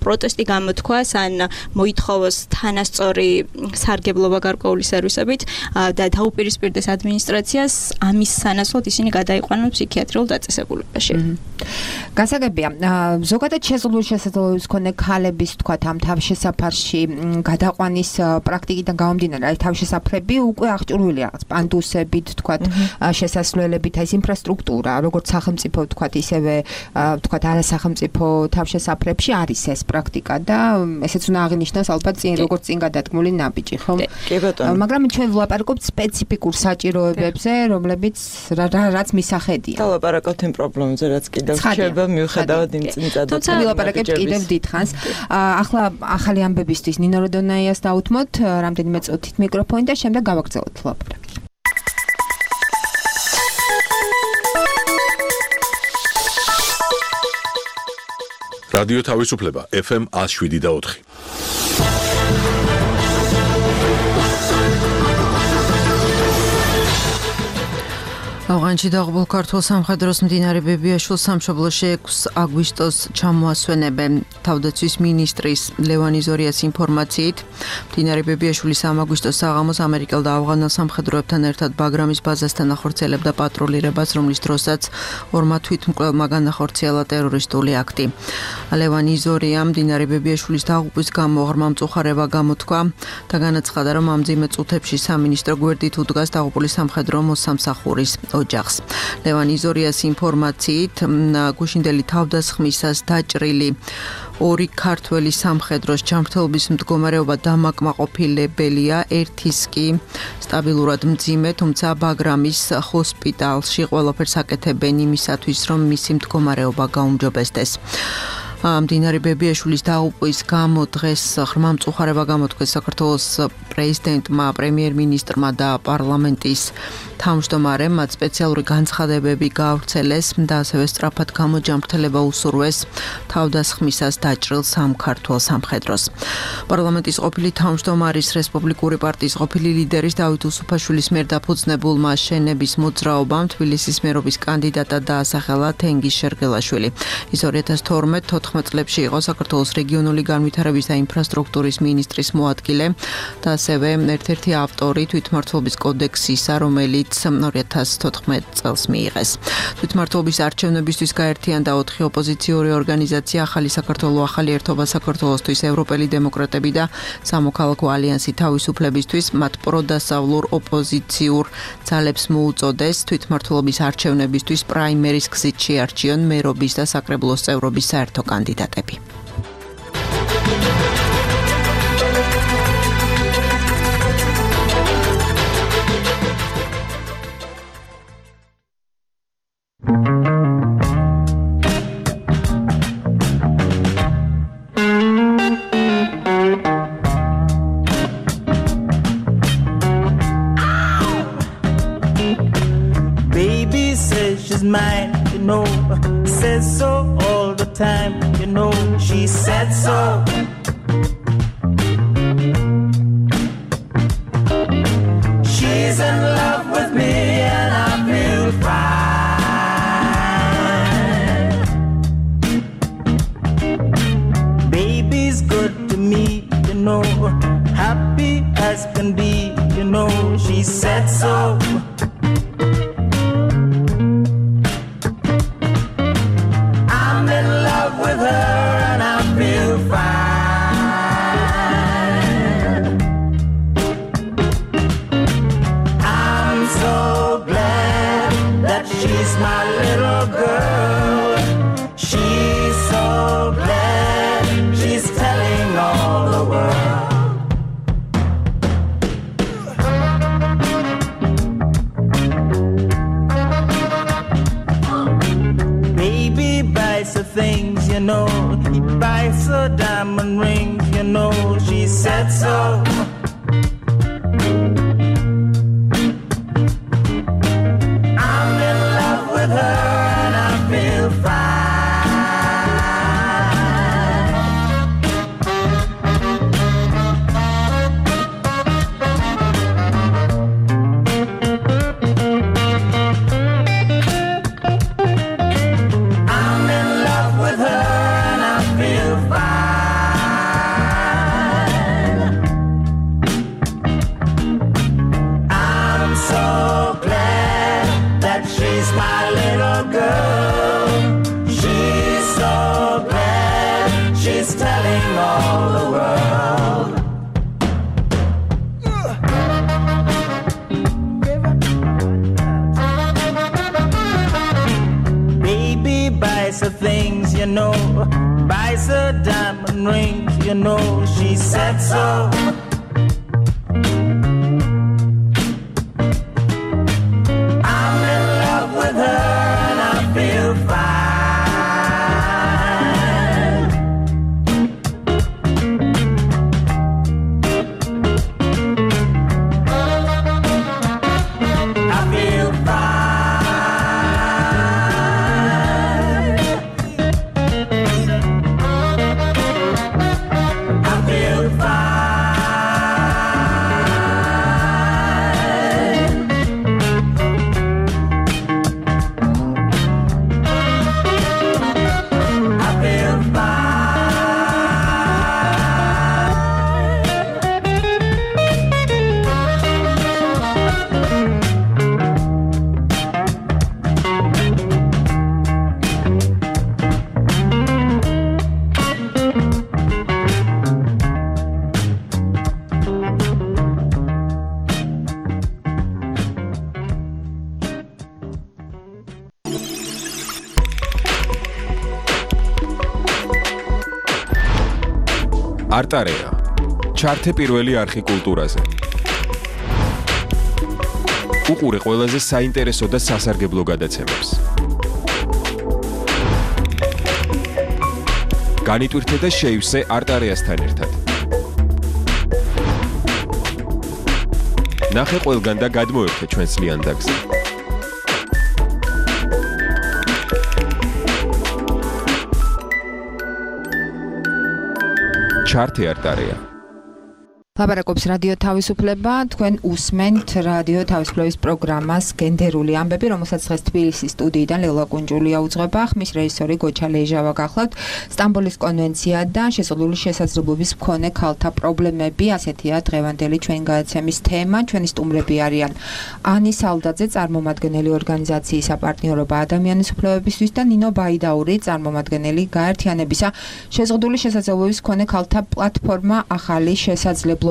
პროტესტი გამოთქვას ან მოითხოვოს თანასწორი სარგებლობა გარკვეული სერვისებით და დაუპირისპირდეს ადმინისტრაციას ამის სანაცვლოდ ისინი გადაიყვანონ ფსიქიატრიულ დაწესებულებაში. გასაგებია, ზოგადად შეზღუდული შესაძლებლობის მქონე ქალების თქვათ ამ თავშესაფარში გადაყვანის პრაქტიკიდან გამომდინარე, აი თავშესაფრები უკვე აღჭურვილია რაღაც პანდუსებით, თქვათ შესასვლელებით, აი ეს ინფრასტრუქტურა, როგორც სახელმწიფო თქვათ ისევე თქვათ არასახელმწიფო თავშესაფრებში არის ეს პრაქტიკა და ესეც უნდა აღინიშნოს ალბათ როგორც წინ გადადგმული ნაბიჯი, ხო? კი ბატონო. მაგრამ ჩვენ ვლაპარაკობთ სპეციფიკურ საჭიროებებზე, რომლებიც რაც მისახედია. და ვლაპარაკობთ იმ პრობლემებზე, რაც კიდევ რჩება მიუხედავად იმ წინწადად. თუმცა ვლაპარაკებთ კიდევ დიდხანს. ახლა ახალი ამბებისთვის ნინო როდონაიას დაუთმოთ რამდენიმე წუთით მიკროფონი და შემდეგ გავაგრძელოთ ლაპარაკი. რადიო თავისუფლება FM 107.4. ავღანეთში დაღუპულ ქართველ სამხედროს მდინარე ბებიაშვილს სამშობლოში 6 აგვისტოს ჩამოასვენებენ. თავდაცვის მინისტრის ლევანი ზორიას ინფორმაციით, მდინარე ბებიაშვილის 3 აგვისტოს საღამოს ამერიკელ და ავღანელ სამხედროებთან ერთად ბაგრამის ბაზასთან ახორციელებდა პატრულირებას, რომლის დროსაც ორმა თვითმკვლელმა განახორციელა ტერორისტული აქტი. ლევანი ზორია მდინარე ბებიაშვილის დაღუპვის გამო ღრმა მწუხარება გამოთქვა და განაცხადა, რომ ამ მძიმე წუთებში სამინისტრო გვერდით უდგას დაღუპული სამხედრო მოსამსახურის ოჯახს. ლევანი ზორიას ინფორმაციით, გუშინდელი თავდასხმისას დაჭრილი 2 ქართველი სამხედროს ჯანმრთელობის მდგომარეობა დამაკმაყოფილებელია, ერთის კი სტაბილურად მძიმე, თუმცა ბაგრამის ჰოსპიტალში ყველაფერს აკეთებენ იმისათვის, რომ მისი მდგომარეობა გაუმჯობესდეს. მდინარე ბებიაშვილის დაღუპვის გამო დღეს ღრმა მწუხარება გამოთქვეს საქართველოს პრეზიდენტმა, პრემიერ-მინისტრმა და პარლამენტის თავმჯდომარემ, მათ სპეციალური განცხადებები გაავრცელეს და ასევე სწრაფად გამოჯანმრთელება უსურვეს თავდასხმისას დაჭრილ სამ ქართველ სამხედროს. პარლამენტის ყოფილი თავმჯდომარის, რესპუბლიკური პარტიის ყოფილი ლიდერის დავით უსუფაშვილის მიერ დაფუძნებულმა შენების მოძრაობამ თბილისის მერობის კანდიდატად დაასახელა თენგიზ შერგელაშვილი. ის 2012-14 წლებში იყო საქართველოს რეგიონული განვითარების და ინფრასტრუქტურის მინისტრის მოადგილე და ასევე ერთ-ერთი ავტორი თვითმმართველობის კოდექსისა, რომელიც 2014 წელს მიიღეს. თვითმმართველობის არჩევნებისთვის გაერთიანდა 4 ოპოზიციური ორგანიზაცია: ახალი საქართველო, ახალი ერთობა საქართველოსთვის, ევროპელი დემოკრატები და სამოქალაქო ალიანსი თავისუფლებისთვის. მათ პროდასავლურ ოპოზიციურ ძალებს მოუწოდეს თვითმმართველობის არჩევნებისთვის პრაიმერის გზით შეარჩიონ მერობის და საკრებულოს წევრობის საერთო კანდიდატები. Baby says she's mine, you know, says so all the time, you know, she said so. She's in love with me and I feel fine. Baby's good to me, you know, happy as can be, you know, she said so. Things, you know, he buys her diamond rings, you know, she said so. I'm in love with her and I feel fine. nicer things, you know. Buys her diamond rings, you know. She said so. I'm in love with her and I feel fine. არტარეა ჩართე პირველი არხი კულტურაზე. უყურე ყველაზე საინტერესო და სასარგებლო გადაცემებს. განიტვირთე და შეივსე არტარეასთან ერთად. ნახე ყველგან და გადმოერთე ჩვენს ლიანდაგზე. ჩართე არტარეა. ლაპარაკობს რადიო თავისუფლება, თქვენ უსმენთ რადიო თავისუფლების პროგრამას გენდერული ამბები, რომელსაც დღეს თბილისის სტუდიიდან ლელა კუნჭულია უძღვება, ხმის რეჟისორი გოჩა ლეჟავა გახლავთ. სტამბოლის კონვენცია და შეზღუდული შესაძლებლობის მქონე ქალთა პრობლემები, ასეთია დღევანდელი ჩვენი გადაცემის თემა. ჩვენი სტუმრები არიან ანი სალდაძე, წარმომადგენელი ორგანიზაციის საპარტნიორობა ადამიანის უფლებებისთვის და ნინო ბაიდაური, წარმომადგენელი გაერთიანებისა შეზღუდული შესაძლებლობის მქონე ქალთა პლატფორმა ახალი შესაძლებლობებისთვის.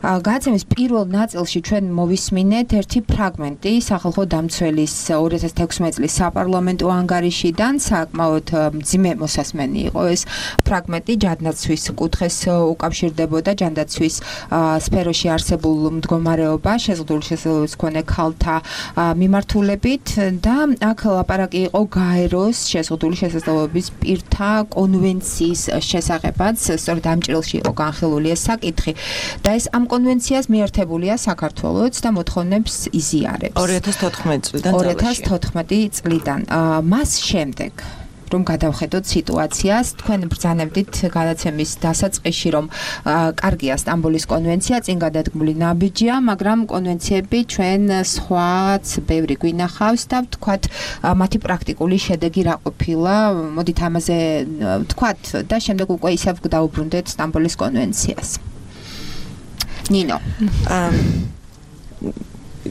გადაცემის პირველ ნაწილში ჩვენ მოვისმინეთ ერთი ფრაგმენტი სახალხო დამცველის 2016 წლის საპარლამენტო ანგარიშიდან, საკმაოდ მძიმე მოსასმენი იყო ეს ფრაგმენტი, ჯანდაცვის კუთხეს უკავშირდებოდა, ჯანდაცვის სფეროში არსებულ მდგომარეობა, შეზღუდული შესაძლებლობის მქონე ქალთა მიმართულებით და აქ ლაპარაკი იყო გაეროს შეზღუდული შესაძლებლობის პირთა კონვენციის შესახებაც, სწორედ ამ ჭრილში იყო განხილული ეს საკითხი და ეს ამ კონვენციას მიერთებულია საქართველოც და მოთხოვნებს იზიარებს 2014 წლიდან. მას შემდეგ რომ გადავხედოთ სიტუაციას, თქვენ ბრძანებდით გადაცემის დასაწყისში, რომ კარგია სტამბოლის კონვენცია, წინ გადადგმული ნაბიჯია, მაგრამ კონვენციები ჩვენ სხვაც ბევრი გვინახავს და ვთქვათ, მათი პრაქტიკული შედეგი რა ყოფილა, მოდით ამაზე ვთქვათ და შემდეგ უკვე ისევ დავუბრუნდეთ სტამბოლის კონვენციას. ნინო.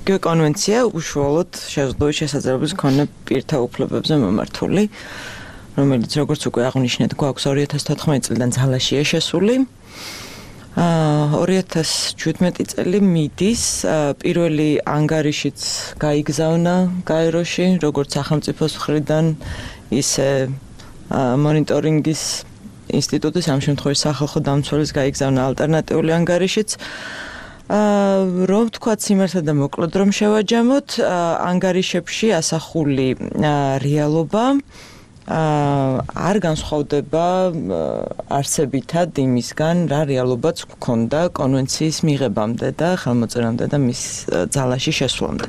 კონვენცია უშუალოდ შეზღუდული შესაძლებლობის მქონე პირთა უფლებებზე მომართული, რომელიც როგორც უკვე აღნიშნეთ, გვაქვს 2014 წლიდან ძალაშია შესული. 2017 წელი მიდის, პირველი ანგარიშიც გაიგზავნა გაეროში, როგორც სახელმწიფოს მხრიდან, ისე მონიტორინგის ინსტიტუტის, ამ შემთხვევაში სახალხო დამცველის გაიგზავნა ალტერნატიული ანგარიშიც. რომ თქვა სიმართლე და მოკლედ რომ შევაჯამოთ, ანგარიშებში ასახული რეალობა არ განსხვავდება არსებითად იმისგან, რა რეალობაც გქონდა კონვენციის მიღებამდე და ხელმოწერამდე და მის ძალაში შესვლამდე.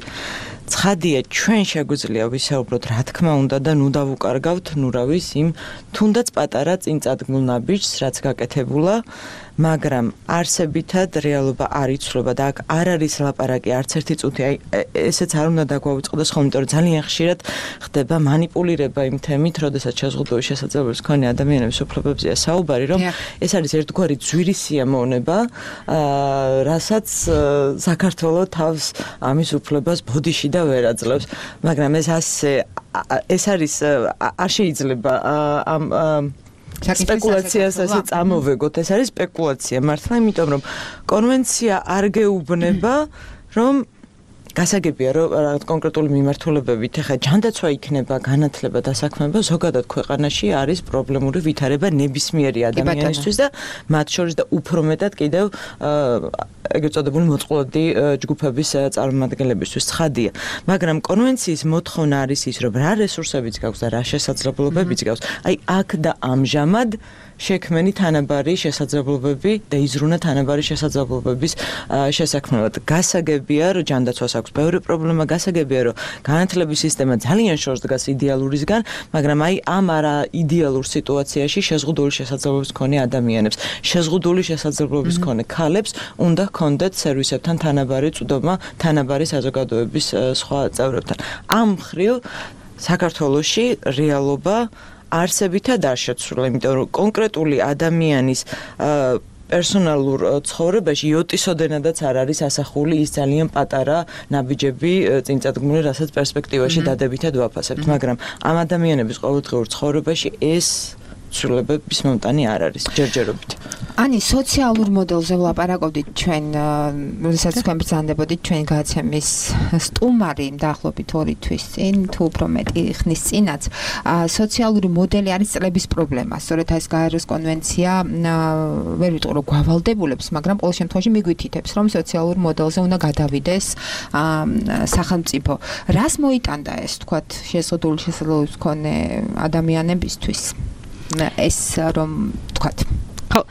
ცხადია, ჩვენ შეგვიძლია ვისაუბროთ, რა თქმა უნდა და ნუ დავუკარგავთ, ნუ რა ვის იმ თუნდაც პატარა წინწადგმულ ნაბიჯს, რაც გაკეთებულა, მაგრამ არსებითად რეალობა არ იცვლება და აქ არ არის ლაპარაკი არც ერთი წუთი, აი ესეც არ უნდა დაგვაუწყდეს ხოლმე, იმიტომ რომ ძალიან ხშირად ხდება манипуლირება იმ თემით, როდესაც შეზღუდული შესაძლებლობის მქონე ადამიანების უფლებებზეა საუბარი, რომ ეს არის ერთგვარი ძვირი სიამოვნება, რასაც საქართველოს თავს ამის უფლებას ბოდიში და ვერ აძლევს, მაგრამ ეს არის არ შეიძლება ამ სპეკულაციას ასე წამოვეგოთ, ეს არის სპეკულაცია მართლა, იმიტომ რომ კონვენცია არ გეუბნება, რომ გასაგებია რომ რაღაც კონკრეტული მიმართულებებით ეხა ჯანდაცვა იქნება, განათლება და საქმეობა ზოგადად ქვეყანაში არის პრობლემური ვითარება ნებისმიერი ადამიანისთვის და მათ შორის და უფრო მეტად კიდევ ეგრეთ წოდებული მოწყვლადი ჯგუფების წარმომადგენლებისთვის ცხადია. მაგრამ კონვენციის მოთხოვნა არის ის, რომ რა რესურსებიც გაქვს და რა შესაძლებლობებიც გაქვს. აი აქ და ამჟამად შექმენი თანაბარი შესაძლებლობები და იზრუნა თანაბარი შესაძლებლობების შესაქმნელად. გასაგებია, რომ ჯანდაცვას აქვს ბევრი პრობლემა, გასაგებია, რომ განათლების სისტემა ძალიან შორს დგას იდეალურისგან, მაგრამ აი ამ არა იდეალურ სიტუაციაში შეზღუდული შესაძლებლობების მქონე ადამიანებს, შეზღუდული შესაძლებლობების მქონე ქალებს უნდა ჰქონდეთ სერვისებთან თანაბარი წვდომა, თანაბარი საზოგადოების სხვა წევრებთან. ამ მხრივ საქართველოში რეალობა არსებითად არ შეცვლილა, იმიტომ რომ კონკრეტული ადამიანის პერსონალურ ცხოვრებაში იოტისოდენადაც არ არის ასახული ის ძალიან პატარა ნაბიჯები წინწადგმული, რასაც პერსპექტივაში დადებითად ვაფასებთ, მაგრამ ამ ადამიანების ყოველდღიურ ცხოვრებაში ეს ცვლილებების მომტანი არ არის ჯერჯერობით. Ani სოციალურ მოდელზე ვლაპარაკობდით ჩვენ, როდესაც თქვენ ბრძანდებოდით ჩვენ გაცემის სტუმარი დაახლოებით 2 თვის წინ, თუ უფრო მეტი ხნის წინაც, სოციალური მოდელი არის წლების პრობლემა. სწორედ ეს გაეროს კონვენცია ვერ ვიტყვი რომ გავალდებულებს, მაგრამ ყოველ შემთხვევაში მიგვითითებს, რომ სოციალურ მოდელზე უნდა გადავიდეს სახელმწიფო. რას მოიტანდა ეს, თქვათ, შეზღუდული შესაძლებლობის მქონე ადამიანებისთვის? ეს რომ თქვათ ხო,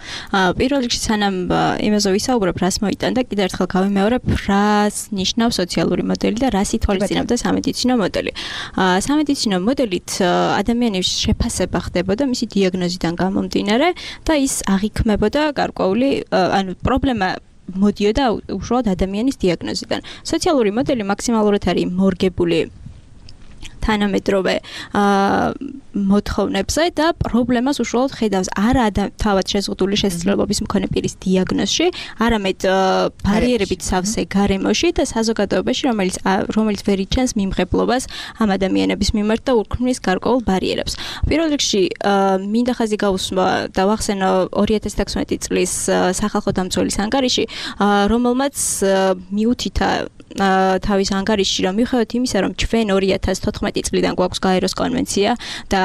პირველ რიგში სანამ იმაზე ვისაუბრებ, რას მოიტანდა, კიდევ ერთხელ გავიმეორებ, რას ნიშნავს სოციალური მოდელი და რას ითვალისწინებდა სამედიცინო მოდელი. სამედიცინო მოდელით ადამიანის შეფასება ხდებოდა მისი დიაგნოზიდან გამომდინარე და ის აღიქმებოდა გარკვეული, ანუ პრობლემა მოდიოდა უშუალოდ ადამიანის დიაგნოზიდან. სოციალური მოდელი მაქსიმალურად არის მორგებული თანამედროვე მოთხოვნებზე და პრობლემას უშუალოდ ხედავს არა თავად შეზღუდული შესაძლებლობის მქონე პირის დიაგნოზში, არამედ ბარიერებით სავსე გარემოში და საზოგადოებაში, რომელიც ვერ იჩენს მიმღებლობას ამ ადამიანების მიმართ და უქმნის გარკვეულ ბარიერებს. პირველ რიგში მინდა ხაზი გავუსვა და ვახსენო 2016 წლის სახალხო დამცველის ანგარიში, რომელმაც მიუთითა თავის ანგარიშში, რომ მიუხედავად იმისა, რომ ჩვენ 2014 წლიდან გვაქვს გაეროს კონვენცია და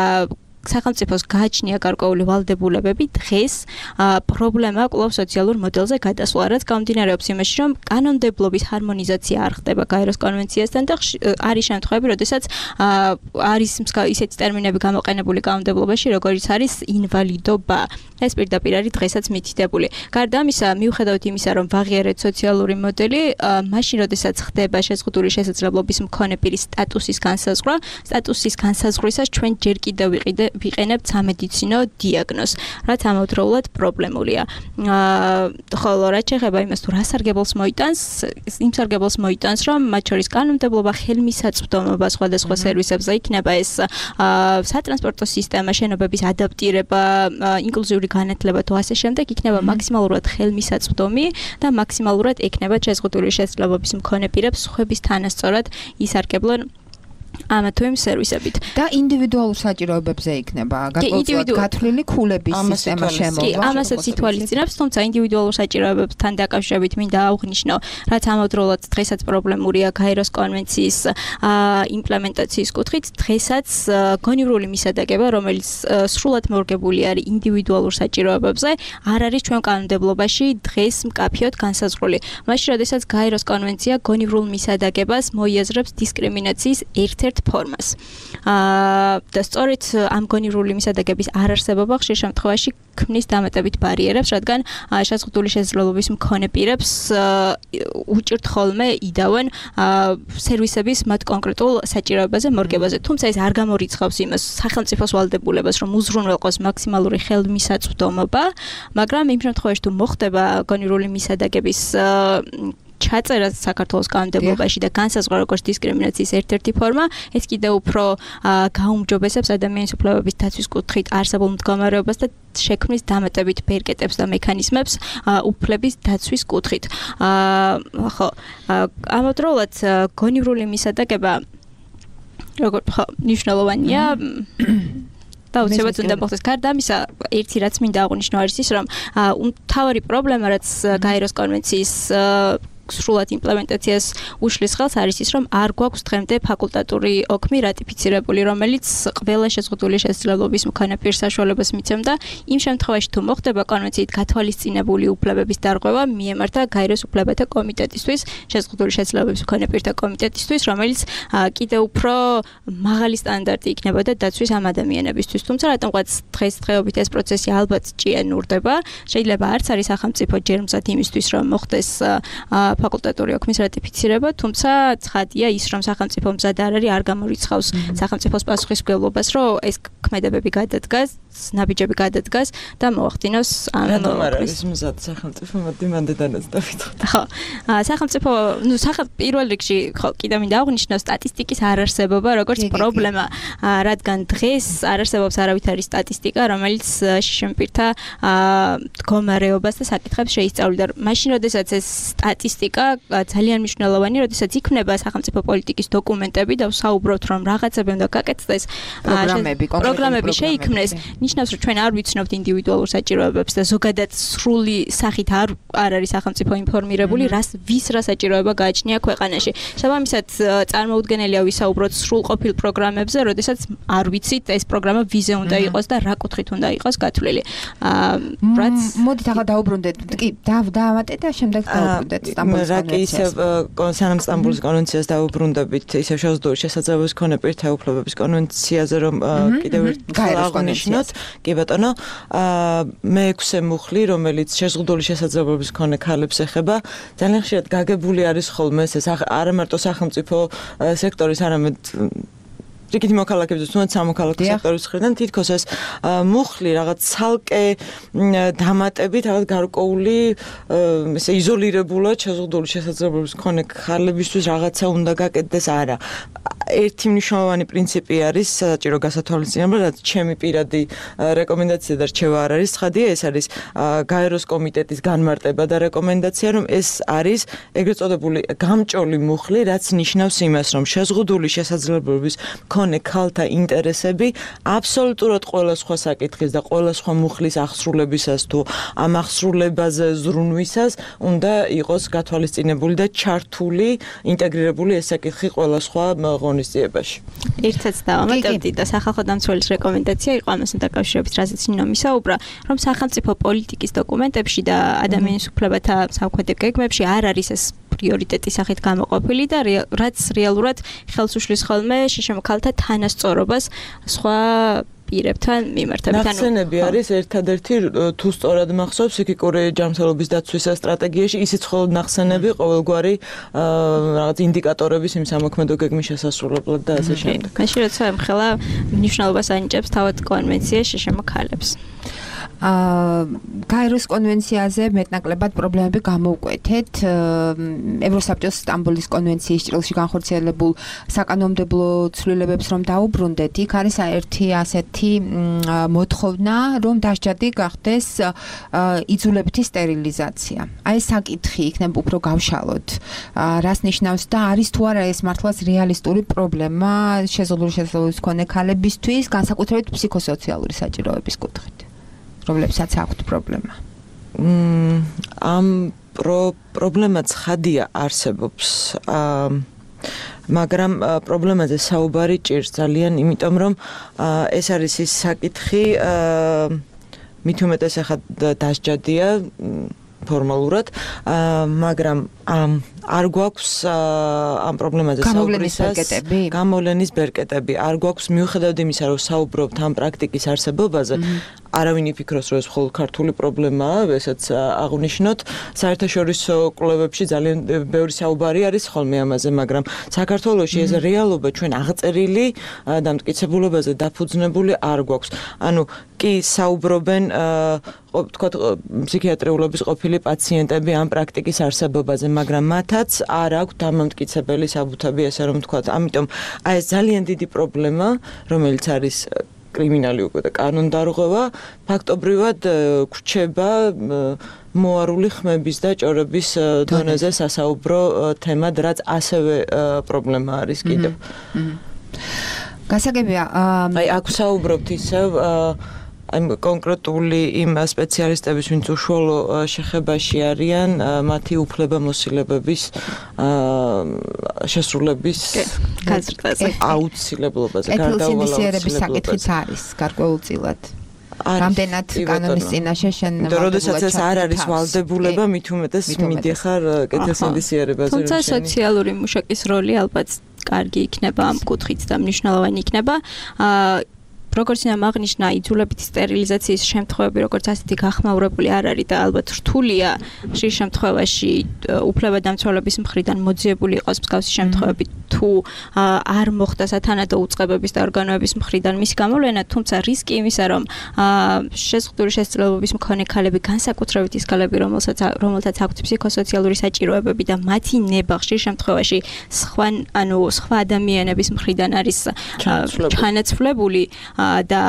სახელმწიფოს გააჩნია გარკვეული ვალდებულებები, დღეს პრობლემა კვლავ სოციალურ მოდელზე გადასვლა, რაც გამომდინარეობს იმაში, რომ კანონმდებლობის ჰარმონიზაცია არ ხდება გაეროს კონვენციასთან და არის შემთხვევები, როდესაც არის ისეთი ტერმინები გამოყენებული კანონმდებლობაში, როგორც არის ინვალიდობა. ეს პირდაპირ არის დღესაც მითითებული. გარდა ამისა, მიუხედავად იმისა, რომ ვაღიარეთ სოციალური მოდელი, მაშინ როდესაც ხდება შეზღუდული შესაძლებლობის მქონე პირის სტატუსის განსაზღვრა, სტატუსის განსაზღვრისას ჩვენ ჯერ კიდევ ვიყენებთ სამედიცინო დიაგნოზს, რაც ამავდროულად პრობლემულია. ხოლო რაც შეეხება იმას, თუ რა სარგებელს მოიტანს, იმ სარგებელს მოიტანს, რომ მათ შორის კანონმდებლობა, ხელმისაწვდომობა სხვადასხვა სერვისებზე, იქნება ეს სატრანსპორტო სისტემა, შენობების ადაპტირება, ინკლუზიური განათლება თუ ასე შემდეგ, იქნება მაქსიმალურად ხელმისაწვდომი და მაქსიმალურად ექნება შეზღუდული შესაძლებლობის მქონე პირებს სხვების თანასწორად ისარგებლონ ამა თუ იმ სერვისებით. და ინდივიდუალურ საჭიროებებზე იქნება გარკვეულად გათვლილი ქულების სისტემა შემოვა. კი, ამასაც ითვალისწინებს, თუმცა ინდივიდუალურ საჭიროებებთან დაკავშირებით მინდა აღვნიშნო, რაც ამავდროულად დღესაც პრობლემურია გაეროს კონვენციის იმპლემენტაციის კუთხით, დღესაც გონივრული მისადაგება, რომელიც სრულად მორგებული არის ინდივიდუალურ საჭიროებებზე, არ არის ჩვენ კანონმდებლობაში დღეს მკაფიოდ განსაზღვრული. მაშინ, როდესაც გაეროს კონვენცია გონივრულ მისადაგებას მოიაზრებს დისკრიმინაციის ერთ-ერთ ფორმას. და სწორედ ამ გონივრული მისადაგების არარსებობა ხშირ შემთხვევაში ქმნის დამატებით ბარიერებს, რადგან შეზღუდული შესაძლებლობის მქონე პირებს უჭირთ ხოლმე იდავენ სერვისების მათ კონკრეტულ საჭიროებაზე მორგებაზე. თუმცა ეს არ გამორიცხავს იმას სახელმწიფოს ვალდებულებას, რომ უზრუნველყოს მაქსიმალური ხელმისაწვდომობა, მაგრამ იმ შემთხვევაში თუ მოხდება გონივრული მისადაგების ჩაწერა საქართველოს კანონმდებლობაში და განსაზღვრა როგორც დისკრიმინაციის ერთ-ერთი ფორმა, ეს კიდევ უფრო გაუმჯობესებს ადამიანის უფლებების დაცვის კუთხით არსებულ მდგომარეობას და შექმნის დამატებით ბერკეტებს და მექანიზმებს უფლების დაცვის კუთხით. ხო, ამავდროულად გონივრული მისადაგება როგორც მნიშვნელოვანია და უცებად უნდა მოხდეს. გარდა ამისა, ერთი რაც მინდა აღვნიშნო არის ის, რომ მთავარი პრობლემა, რაც გაეროს კონვენციის სრულად იმპლემენტაციას უშლის ხელს არის ის, რომ არ გვაქვს დღემდე ფაკულტატური ოქმი რატიფიცირებული, რომელიც ყველა შეზღუდული შესაძლებლობის მქონე პირს საშუალებას მიცემდა იმ შემთხვევაში თუ მოხდება კონვენციით გათვალისწინებული უფლებების დარღვევა მიემართა გაეროს უფლებათა კომიტეტისთვის, შეზღუდული შესაძლებლობის მქონე პირთა კომიტეტისთვის, რომელიც კიდევ უფრო მაღალი სტანდარტი იქნებოდა დაცვის ამ ადამიანებისთვის. თუმცა რატომღაც დღესდღეობით ეს პროცესი ალბათ ჭიანურდება, შეიძლება არც არის სახელმწიფო ჯერმზად იმისთვის, რომ მოხდეს ფაკულტატური ოქმის რატიფიცირება, თუმცა ცხადია ის, რომ სახელმწიფო მზად არ არის, არ გამორიცხავს სახელმწიფოს პასუხისმგებლობას, რომ ეს ქმედებები გადადგას, ნაბიჯები გადადგას და მოახდინოს ამ არის მზად სახელმწიფო მოდი მანდედანაც დავიწყოთ. ხო. სახელმწიფო, პირველ რიგში ხო, კიდევ მინდა აღვნიშნო სტატისტიკის არარსებობა, როგორც პრობლემა, რადგან დღეს არ არსებობს არავითარი სტატისტიკა, რომელიც შიშემპირთა მდგომარეობას და საკითხებს შეისწავლიდა. მაშინ, როდესაც ეს სტატისტიკა ძალიან მნიშვნელოვანი, როდესაც იქნება სახელმწიფო პოლიტიკის დოკუმენტები და ვსაუბრობთ, რომ რაღაცები უნდა გაკეთდეს, პროგრამები შეიქმნეს, ნიშნავს, რომ ჩვენ არ ვიცნობთ ინდივიდუალურ საჭიროებებს და ზოგადად სრული სახით არ არის სახელმწიფო ინფორმირებული, ვის რა საჭიროება გააჩნია ქვეყანაში. შესაბამისად, წარმოუდგენელია ვისაუბროთ სრულყოფილ პროგრამებზე, როდესაც არ ვიცით ეს პროგრამა ვიზე უნდა იყოს და რა კუთხით უნდა იყოს გათვლილი. მოდით ახლა დაუბრუნდეთ. კი, დავამატეთ და შემდეგ დაუბრუნდეთ სტამბოლის კონვენციას. სანამ სტამბოლის კონვენციას დაუბრუნდებით, ისევ შეზღუდული შესაძლებლობის მქონე პირთა უფლებების კონვენციაზე, რომ კიდევ ერთხელ აღნიშნოთ, კი ბატონო, მე-6 მუხლი, რომელიც შეზღუდული შესაძლებლობის მქონე ქალებს ეხება, ძალიან ხშირად გაგებული არის ხოლმე ეს არა მარტო სახელმწიფო სექტორის, არამედ რიგითი მოქალაქეების, თუნდაც სამოქალაქო სექტორის მხრიდან თითქოს ეს მუხლი რაღაც ცალკე დამატებით, რაღაც გარკვეული ესე იზოლირებულად შეზღუდული შესაძლებლობის მქონე ხალებისთვის რაღაცა უნდა გაკეთდეს, არა. ერთი მნიშვნელოვანი პრინციპი არის საჭირო გასათვალისწინებლად, რაც ჩემი პირადი რეკომენდაცია და რჩევა არ არის ცხადია, ეს არის გაეროს კომიტეტის განმარტება და რეკომენდაცია, რომ ეს არის ეგრეთ წოდებული გამჭოლი მუხლი, რაც ნიშნავს იმას, რომ შეზღუდული შესაძლებლობის მქონე ქალთა ინტერესები აბსოლუტურად ყველა სხვა საკითხის და ყველა სხვა მუხლის აღსრულებისას თუ ამ აღსრულებაზე ზრუნვისას უნდა იყოს გათვალისწინებული და ჩართული, ინტეგრირებული ეს საკითხი ყველა სხვა ღონისძიებაში. ერთად დავამატებდი და სახალხო დამცველის რეკომენდაცია იყო ამასთან დაკავშირებით, რასაც ნინო მისაუბრა, რომ სახელმწიფო პოლიტიკის დოკუმენტებში და ადამიანის უფლებათა სამხედრო გეგმებში არ არის ეს პრიორიტეტის სახით გამოყოფილი და რაც რეალურად ხელს უშლის ხოლმე შიშემოქალთა თანასწორობას სხვა პირებთან მიმართებით. ნახსენები არის ერთადერთი თუ სწორად მახსოვს ფსიქიკური ჯანმრთელობის დაცვის სტრატეგიაში ისიც მხოლოდ ნახსენები ყოველგვარი რაღაც ინდიკატორების იმ სამოქმედო გეგმის შესასრულებლად და ასე შემდეგ. მაშინ როცა ემხელა მნიშვნელობას ანიჭებს თავად კონვენცია შიშემოქალებს. გაეროს კონვენციაზე მეტნაკლებად პრობლემები გამოვკვეთეთ. ევროსაბჭოს სტამბოლის კონვენციის ჭრილში განხორციელებულ საკანონმდებლო ცვლილებებს რომ დაუბრუნდეთ, იქ არის ერთი ასეთი მოთხოვნა, რომ დასჯადი გახდეს იძულებითი სტერილიზაცია. აი ეს საკითხი იქნება უფრო გავშალოთ. რას ნიშნავს და არის თუ არა ეს მართლაც რეალისტური პრობლემა შეზღუდული შესაძლებლობის მქონე ქალებისთვის, განსაკუთრებით ფსიქოსოციალური საჭიროების კუთხით. რომლებსაც აქვთ პრობლემა. ამ პრობლემა ცხადია არსებობს. მაგრამ პრობლემაზე საუბარი ჭირს ძალიან, იმიტომ რომ ეს არის ის საკითხი, მით უმეტეს ახლა დასჯადია ფორმალურად, მაგრამ არ გვაქვს ამ პრობლემაზე საუბრისას გამოვლენის ბერკეტები. არ გვაქვს მიუხედავად იმისა, რომ საუბრობთ ამ პრაქტიკის არსებობაზე, არავინ იფიქროს, რომ ეს მხოლოდ ქართული პრობლემაა, ესაც აღნიშნოთ. საერთაშორისო კვლევებში ძალიან ბევრი საუბარი არის ხოლმე ამაზე, მაგრამ საქართველოში ეს რეალობა ჩვენ აღწერილი დამტკიცებულებაზე დაფუძნებული არ გვაქვს. ანუ კი საუბრობენ თქვათ ფსიქიატრიულობის ყოფილი პაციენტები ამ პრაქტიკის არსებობაზე, მაგრამ მათაც არ აქვს დამამტკიცებელი საბუთები, ესე რომ ვთქვათ. ამიტომ აი ეს ძალიან დიდი პრობლემა, რომელიც არის კრიმინალი უკვე და კანონდარღვევა, ფაქტობრივად გვრჩება მოარული ხმების და ჭორების დონეზე სასაუბრო თემად, რაც ასევე პრობლემა არის კიდევ. გასაგებია, აი აქ საუბრობთ ისევ აი კონკრეტული იმ სპეციალისტების, ვინც უშუალო შეხებაში არიან, მათი უფლებამოსილებების შესრულების გაზრდაზე, აუცილებლობაზე, გარდაუვალების საკითხიც არის გარკვეულწილად. რამდენად კანონის წინაშე შენ როდესაც ეს არ არის ვალდებულება, მით უმეტეს მიდიხარ კეთილსინდისიერებაზე. თუმცა სოციალური მუშაკის როლი ალბათ კარგი იქნება ამ კუთხით და მნიშვნელოვანი იქნება. როგორც აღნიშნა, იძულებითი სტერილიზაციის შემთხვევები, როგორც ასეთი გახმაურებული არ არის და ალბათ რთულია ხშირ შემთხვევაში უფლებადამცველების მხრიდან მოძიებული იყოს მსგავსი შემთხვევები თუ არ მოხდა სათანადო უწყებების და ორგანოების მხრიდან მისი გამოვლენა, თუმცა რისკი იმისა, რომ შეზღუდული შესაძლებლობის მქონე ქალები, განსაკუთრებით ის ქალები, რომელთაც აქვთ ფსიქოსოციალური საჭიროებები და მათი ნება ხშირ შემთხვევაში სხვა ადამიანების მხრიდან არის ჩანაცვლებული და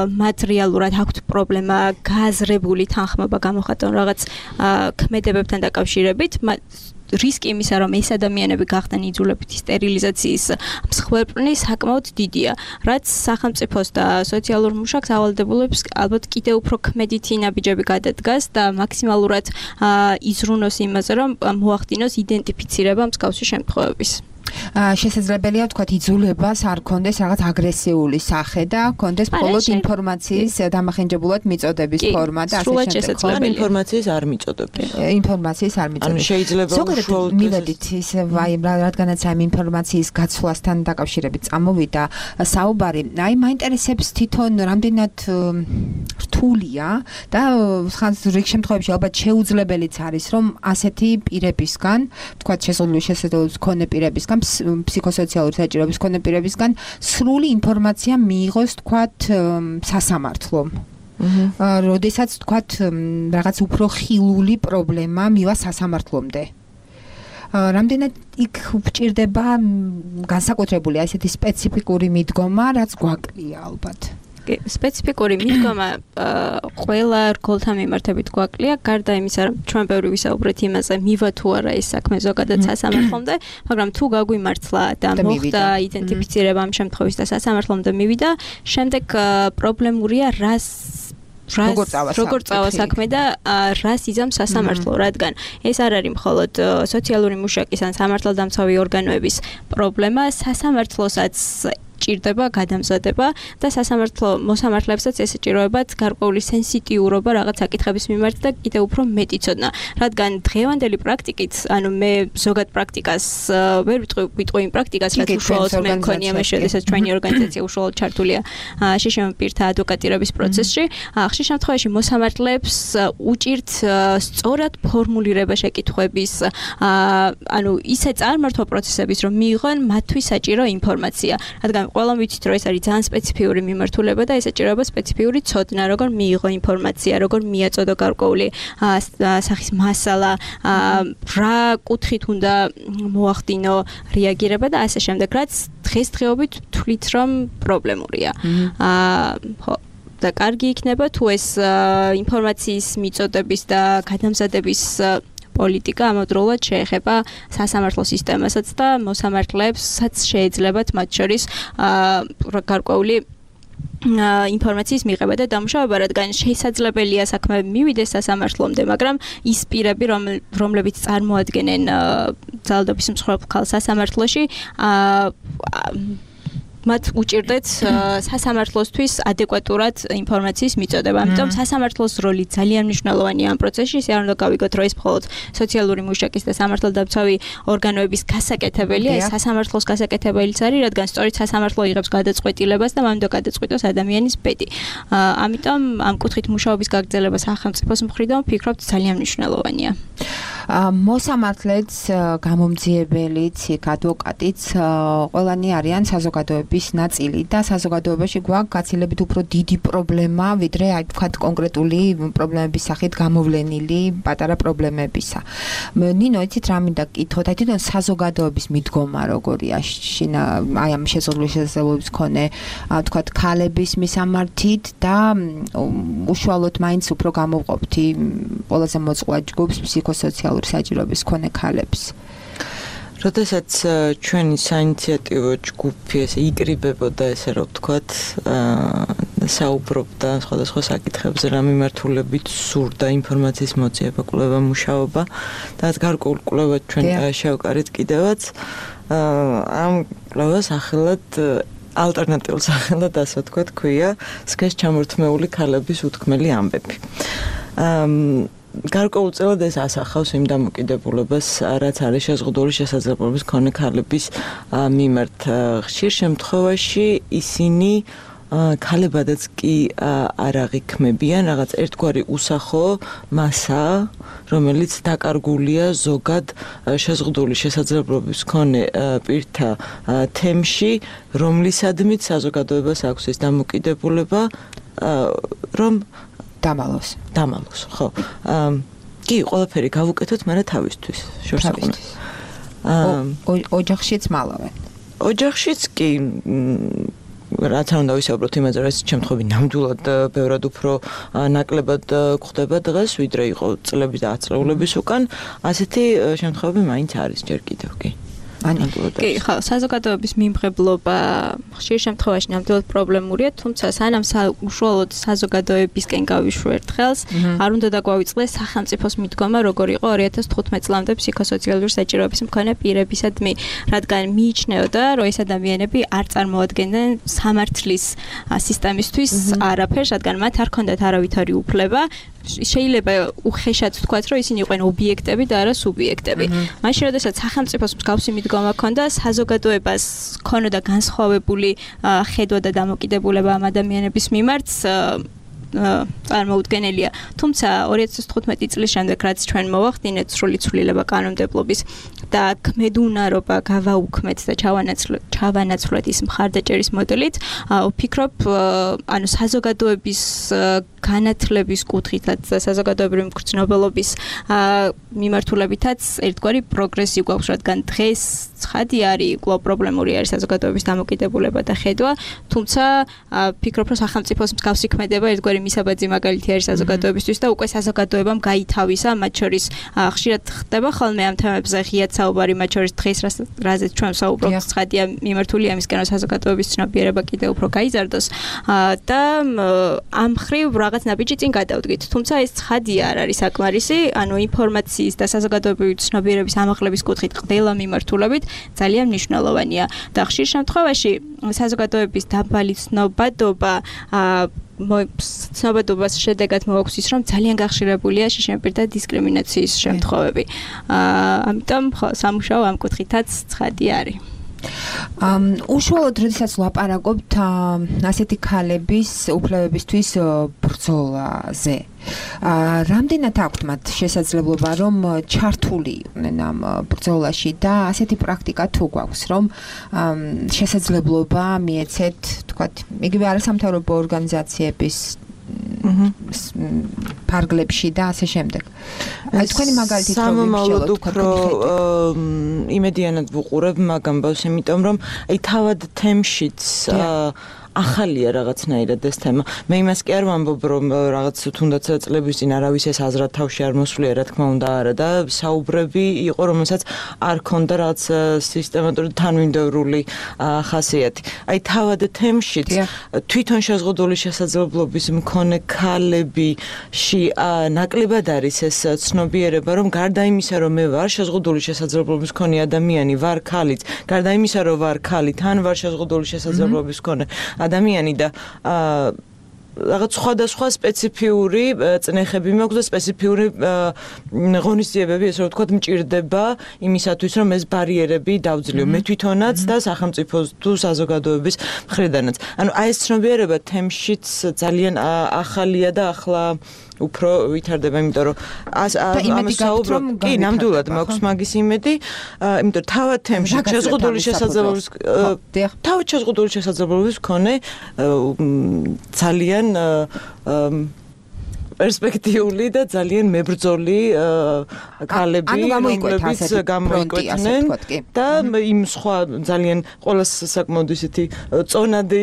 მათ რეალურად აქვთ პრობლემა გააზრებული თანხმობა გამოხატონ რაღაც ქმედებებთან დაკავშირებით, რისკი იმისა, რომ ეს ადამიანები გახდნენ იძულებითი სტერილიზაციის მსხვერპლი, საკმაოდ დიდია, რაც სახელმწიფოს და სოციალურ მუშაკს ავალდებულებს ალბათ კიდევ უფრო ქმედითი ნაბიჯები გადადგას და მაქსიმალურად იზრუნოს იმაზე, რომ მოახდინოს იდენტიფიცირება მსგავსი შემთხვევების. შესაძლებელია ვთქვათ იძულებას არ კონდეს რაღაც აგრესიული სახე და კონდეს მხოლოდ ინფორმაციის დამახინჯებულად მიწოდების ფორმა და ასე შემდეგ. ინფორმაციის არ მიწოდების. ინფორმაციის არ მიწოდების. შეიძლება უშუალოდ მივედით ის რადგანაც ამ ინფორმაციის გაცვლასთან დაკავშირებით წამოვიდა საუბარი. აი მაინტერესებს თვითონ რამდენად რთულია და რიგ შემთხვევებში ალბათ შეუძლებელიც არის რომ ასეთი პირებისგან, ვთქვათ შეზღუდული შესაძლებლობის მქონე პირებისგან ფსიქოსოციალური საჭიროების მქონე პირებისგან სრული ინფორმაცია მიიღოს თქვათ სასამართლომ. როდესაც თქვათ რაღაც უფრო ხილული პრობლემა მივა სასამართლომდე. რამდენად იქ გვჭირდება განსაკუთრებული ასეთი სპეციფიკური მიდგომა, რაც გვაკლია ალბათ. სპეციფიკური მიდგომა ყველა რგოლთან მიმართებით გვაკლია, გარდა იმისა, რომ ჩვენ ბევრი ვისაუბრეთ იმაზე, მივა თუ არა ეს საქმე ზოგადად სასამართლომდე, მაგრამ თუ გაგვიმართლა და მოხდა იდენტიფიცირება ამ შემთხვევის და სასამართლომდე მივიდა, შემდეგ პრობლემურია როგორ წავა საქმე და რას იზამს სასამართლო, რადგან ეს არ არის მხოლოდ სოციალური მუშაკის ან სამართალდამცავი ორგანოების პრობლემა, სასამართლოსაც ჭირდება გადამზადება და სასამართლო მოსამართლებსაც ესეჭიროებათ გარკვეული სენსიტიურობა რაღაც საკითხების მიმართ და კიდევ უფრო მეტი ცოდნა, რადგან დღევანდელი პრაქტიკით, ანუ მე ზოგად პრაქტიკას ვერ ვიტყვი იმ პრაქტიკას, რაც უშუალოდ მე მქონია მე შესაძლოა ჩვენი ორგანიზაცია უშუალოდ ჩართულია შიშემ პირთა ადვოკატირების პროცესში. ხშირ შემთხვევაში მოსამართლეებს უჭირთ სწორად ფორმულირება შეკითხვების, ანუ ისე წარმართვა პროცესების, რომ მიიღონ მათთვის საჭირო ინფორმაცია, რადგან ყველამ ვიცით, რომ ეს არის ძალიან სპეციფიური მიმართულება და ესეჭიროება სპეციფიური ცოდნა, როგორ მიიღო ინფორმაცია, როგორ მიაწოდო გარკვეული სახის მასალა, რა კუთხით უნდა მოახდინო რეაგირება და ასე შემდეგ, რაც დღესდღეობით თვლით, რომ პრობლემურია. და კარგი იქნება თუ ეს ინფორმაციის მიწოდების და გადამზადების პოლიტიკა ამავდროულად შეეხება სასამართლო სისტემასაც და მოსამართლეებსაც შეეძლებათ მათ შორის გარკვეული ინფორმაციის მიღება და დამუშავება, რადგან შესაძლებელია საქმე მივიდეს სასამართლომდე, მაგრამ ის პირები, რომლებიც წარმოადგენენ ძალადობის მსხვერპლ ქალს სასამართლოში, მათ უჭირდეთ სასამართლოსთვის ადეკვატურად ინფორმაციის მიწოდება. ამიტომ სასამართლოს როლი ძალიან მნიშვნელოვანია ამ პროცესში. ეს არ უნდა გავიგოთ, რომ ეს მხოლოდ სოციალური მუშაკის და სამართალდამცავი ორგანოების გასაკეთებელია, ეს სასამართლოს გასაკეთებელიც არის, რადგან სწორედ სასამართლო იღებს გადაწყვეტილებას და მან უნდა გადაწყვიტოს ადამიანის ბედი. ამიტომ ამ კუთხით მუშაობის გაგრძელება სახელმწიფოს მხრიდან ვფიქრობ ძალიან მნიშვნელოვანია. მოსამართლეც, გამომძიებელიც, ადვოკატიც ყველანი არიან საზოგადოების ნაწილი და საზოგადოებაში გვაქვს გაცილებით უფრო დიდი პრობლემა, ვიდრე აი ვთქვათ კონკრეტული პრობლემების სახით გამოვლენილი პატარა პრობლემებისა. ნინო, იცით რა მინდა გკითხოთ, აი თვითონ საზოგადოების მიდგომა როგორია აი ამ შეზღუდული შესაძლებლობის მქონე ვთქვათ ქალების მისამართით და უშუალოდ მაინც უფრო გამოვყოფთ ყველაზე მოწყვლად ჯგუფს ფსიქოსოციალური საჭიროების მქონე ქალებს. როდესაც ჩვენი საინიციატივო ჯგუფი ესე იკრიბებოდა, ესე რომ ვთქვათ, საუბრობდა სხვადასხვა საკითხებზე, რა მიმართულებით სურდა ინფორმაციის მოძიება, კვლევა, მუშაობა და გარკვეულ კვლევად ჩვენ შევკარით კიდევაც ამ კვლევას სახელად ალტერნატიულ სახელად ასე ვთქვათ, ქვია სქესს ჩამორთმეული ქალების უთქმელი ამბები. გარკვეულწილად ეს ასახავს იმ დამოკიდებულებას, რაც არის შეზღუდული შესაძლებლობის მქონე ქალების მიმართ. ხშირ შემთხვევაში ისინი ქალებადაც კი არ აღიქმებიან, რაღაც ერთგვარი უსახო მასა, რომელიც დაკარგულია ზოგად შეზღუდული შესაძლებლობის მქონე პირთა თემში, რომლისადმით საზოგადოებას აქვს ეს დამოკიდებულება, რომ დამალოს, ხო. კი, ყველაფერი გავუკეთოთ, მაგრამ თავისთვის, შორსაყრელთვის. ოჯახშიც მალავენ. ოჯახშიც კი რაც არ უნდა ვისაუბროთ იმაზე, რომ ეს შემთხვევები ნამდვილად ბევრად უფრო ნაკლებად გვხდება დღეს, ვიდრე იყო წლების და ათწლეულების უკან, ასეთი შემთხვევები მაინც არის ჯერ კიდევ, კი. კი, ხო, საზოგადოების მიმღებლობა ხშირ შემთხვევაში ნამდვილად პრობლემურია, თუმცა სანამ უშუალოდ საზოგადოებისკენ გავიშვერთ ხელს, არ უნდა დაგვავიწყდეს სახელმწიფოს მიდგომა, როგორ იყო 2015 წლამდე ფსიქოსოციალური საჭიროების მქონე პირებისადმი, რადგან მიიჩნეოდა, რომ ეს ადამიანები არ წარმოადგენდნენ სამართლის სისტემისთვის არაფერს, რადგან მათ არ ჰქონდათ არავითარი უფლება. შეიძლება უხეშად ვთქვათ, რომ ისინი იყვნენ ობიექტები და არა სუბიექტები. მაშინ, როდესაც სახელმწიფოს მსგავსი მიდგომა ჰქონდა, საზოგადოებას ჰქონოდა განსხვავებული ხედვა და დამოკიდებულება ამ ადამიანების მიმართ, წარმოუდგენელია. თუმცა 2015 წლის შემდეგ, რაც ჩვენ მოვახდინეთ სრული ცვლილება კანონმდებლობის და ქმედუნარობა გავაუქმეთ და ჩავანაცვლეთ ის მხარდაჭერის მოდელით, ვფიქრობ, ანუ საზოგადოების განათლების კუთხითაც და საზოგადოებრივი მგრძნობელობის მიმართულებითაც ერთგვარი პროგრესი გვაქვს, რადგან დღეს ცხადი არის, კვლავ პრობლემური არის საზოგადოების დამოკიდებულება და ხედვა, თუმცა ვფიქრობ, რომ სახელმწიფოს მსგავსი ქმედება ერთგვარი მისაბაძი მაგალითი არის საზოგადოებისთვის და უკვე საზოგადოებამ გაითავისა, მათ შორის ხშირად ხდება ხოლმე ამ თემებზე ღიად საუბარი, მათ შორის დღეს რაზეც ჩვენ საუბრობთ, ცხადია მიმართული ამისკენ, რომ საზოგადოების ცნობიერება კიდევ უფრო გაიზარდოს და ამ ხრივ რაღაც ნაბიჯი წინ გადავდგით. თუმცა ეს ცხადია არ არის საკმარისი, ანუ ინფორმაციის და საზოგადოებრივი ცნობიერების ამაღლების კუთხით ყველა მიმართულებით ძალიან მნიშვნელოვანია და ხშირ შემთხვევაში საზოგადოების დაბალი ცნობადობა ცნობადობას შედეგად მოაქვს ის, რომ ძალიან გახშირებულია შიშემპირთა დისკრიმინაციის შემთხვევები. ამიტომ სამუშაო ამ კუთხითაც ცხადი არის. უშუალოდ როდესაც ვლაპარაკობთ ასეთი ქალების უფლებებისთვის ბრძოლაზე, რამდენად აქვთ მათ შესაძლებლობა, რომ ჩართული იყვნენ ამ ბრძოლაში და ასეთი პრაქტიკა თუ გვაქვს, რომ შესაძლებლობა მიეცეთ, თქვათ, იგივე არასამთავრობო ორგანიზაციების ფარგლებში და ასე შემდეგ. თქვენი მაგალითით რომ სამომავლოდ უფრო იმედიანად ვუყურებ მაგ ამბავს, იმიტომ რომ აი თავად თემშიც ახალია რაღაცნაირად ეს თემა. მე იმას კი არ ვამბობ, რომ რაღაც თუნდაც წლების წინ არავის ეს აზრად თავში არ მოსვლია, რა თქმა უნდა, არა და საუბრები იყო, რომელსაც არ ქონდა რაღაც სისტემატური თანმიმდევრული ხასიათი. აი თავად თემშიც თვითონ შეზღუდული შესაძლებლობის მქონე ქალებიში ნაკლებად არის ეს ცნობიერება, რომ გარდა იმისა, რომ მე ვარ შეზღუდული შესაძლებლობის მქონე ადამიანი, ვარ ქალიც, გარდა იმისა, რომ ვარ ქალი, თან ვარ შეზღუდული შესაძლებლობის მქონე ადამიანი და რაღაც სხვადასხვა სპეციფიური წნეხები მაქვს და სპეციფიური ღონისძიებები, ესე რომ ვთქვათ, მჭირდება იმისათვის, რომ ეს ბარიერები დავძლიო მე თვითონაც და სახელმწიფოს თუ საზოგადოების მხრიდანაც. ანუ აი ეს ცნობიერება თემშიც ძალიან ახალია და ახლა უფრო ვითარდება, იმიტომ რომ ამას საუბრობ, კი, ნამდვილად მაქვს მაგის იმედი, იმიტომ რომ თავად თემში შეზღუდული შესაძლებლობის მქონე ძალიან პერსპექტიული და ძალიან მებრძოლი ქალები, რომლებიც გამოიკვეთნენ და იმ სხვა ძალიან ყოველს საკმაოდ ისეთი წონადი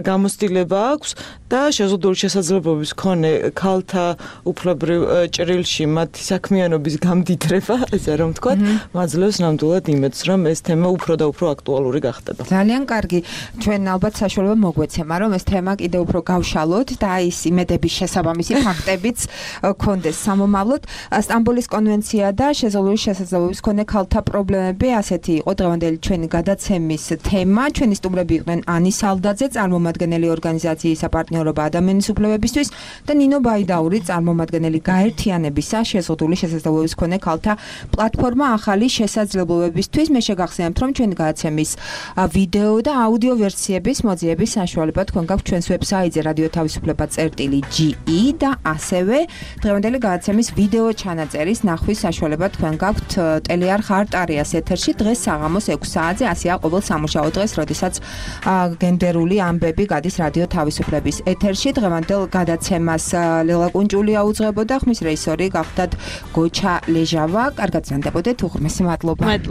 გამოცდილება აქვს და შეზღუდული შესაძლებლობების მქონე ქალთა უფლებრივ ჭრილში მათი საქმიანობის გამდიდრება, ესე რომ ვთქვათ, მაძლევს ნამდვილად იმედს, რომ ეს თემა უფრო და უფრო აქტუალური გახდება. ძალიან კარგი. ჩვენ ალბათ საშუალება მოგვეცემა, რომ ეს თემა კიდევ უფრო გავშალოთ და ის იმედების შესაბამისი ფაქტებიც გქონდეს სამომავლოდ. სტამბოლის კონვენცია და შეზღუდული შესაძლებლობების მქონე ქალთა პრობლემები ასეთი იყო დღევანდელი ჩვენი გადაცემის თემა. ჩვენი სტუმრები იყვნენ ანი სალდაძე, წარმომადგენელი ორგანიზაციის საპარტნიორობა ადამიანის უფლებებისთვის და ნინო ბაიდაური, წარმომადგენელი გაერთიანებისა შეზღუდული შესაძლებლობების მქონე ქალთა პლატფორმა ახალი შესაძლებლობებისთვის. მე შეგახსენებთ, რომ ჩვენი გადაცემის ვიდეო და აუდიო ვერსიების მოძიების საშუალება თქვენ გაქვთ ჩვენს ვებსაიტზე radiotavisufleba.ge და ასევე დღევანდელი გადაცემის ვიდეო ჩანაწერის ნახვის საშუალება თქვენ გაქვთ ტელეარხ არტარიას ეთერში დღეს საღამოს 6 საათზე. ასეა ყოველ სამუშაო დღეს, როდესაც გენდერული ამბები გადის რადიო თავისუფლების ეთერში. დღევანდელ გადაცემას ლელა კუნჭულია უძღვებოდა, ხმის რეჟისორი გახდათ გოჩა ლეჟავა. კარგად ზანდებოდეთ, უღრმესი მადლობა.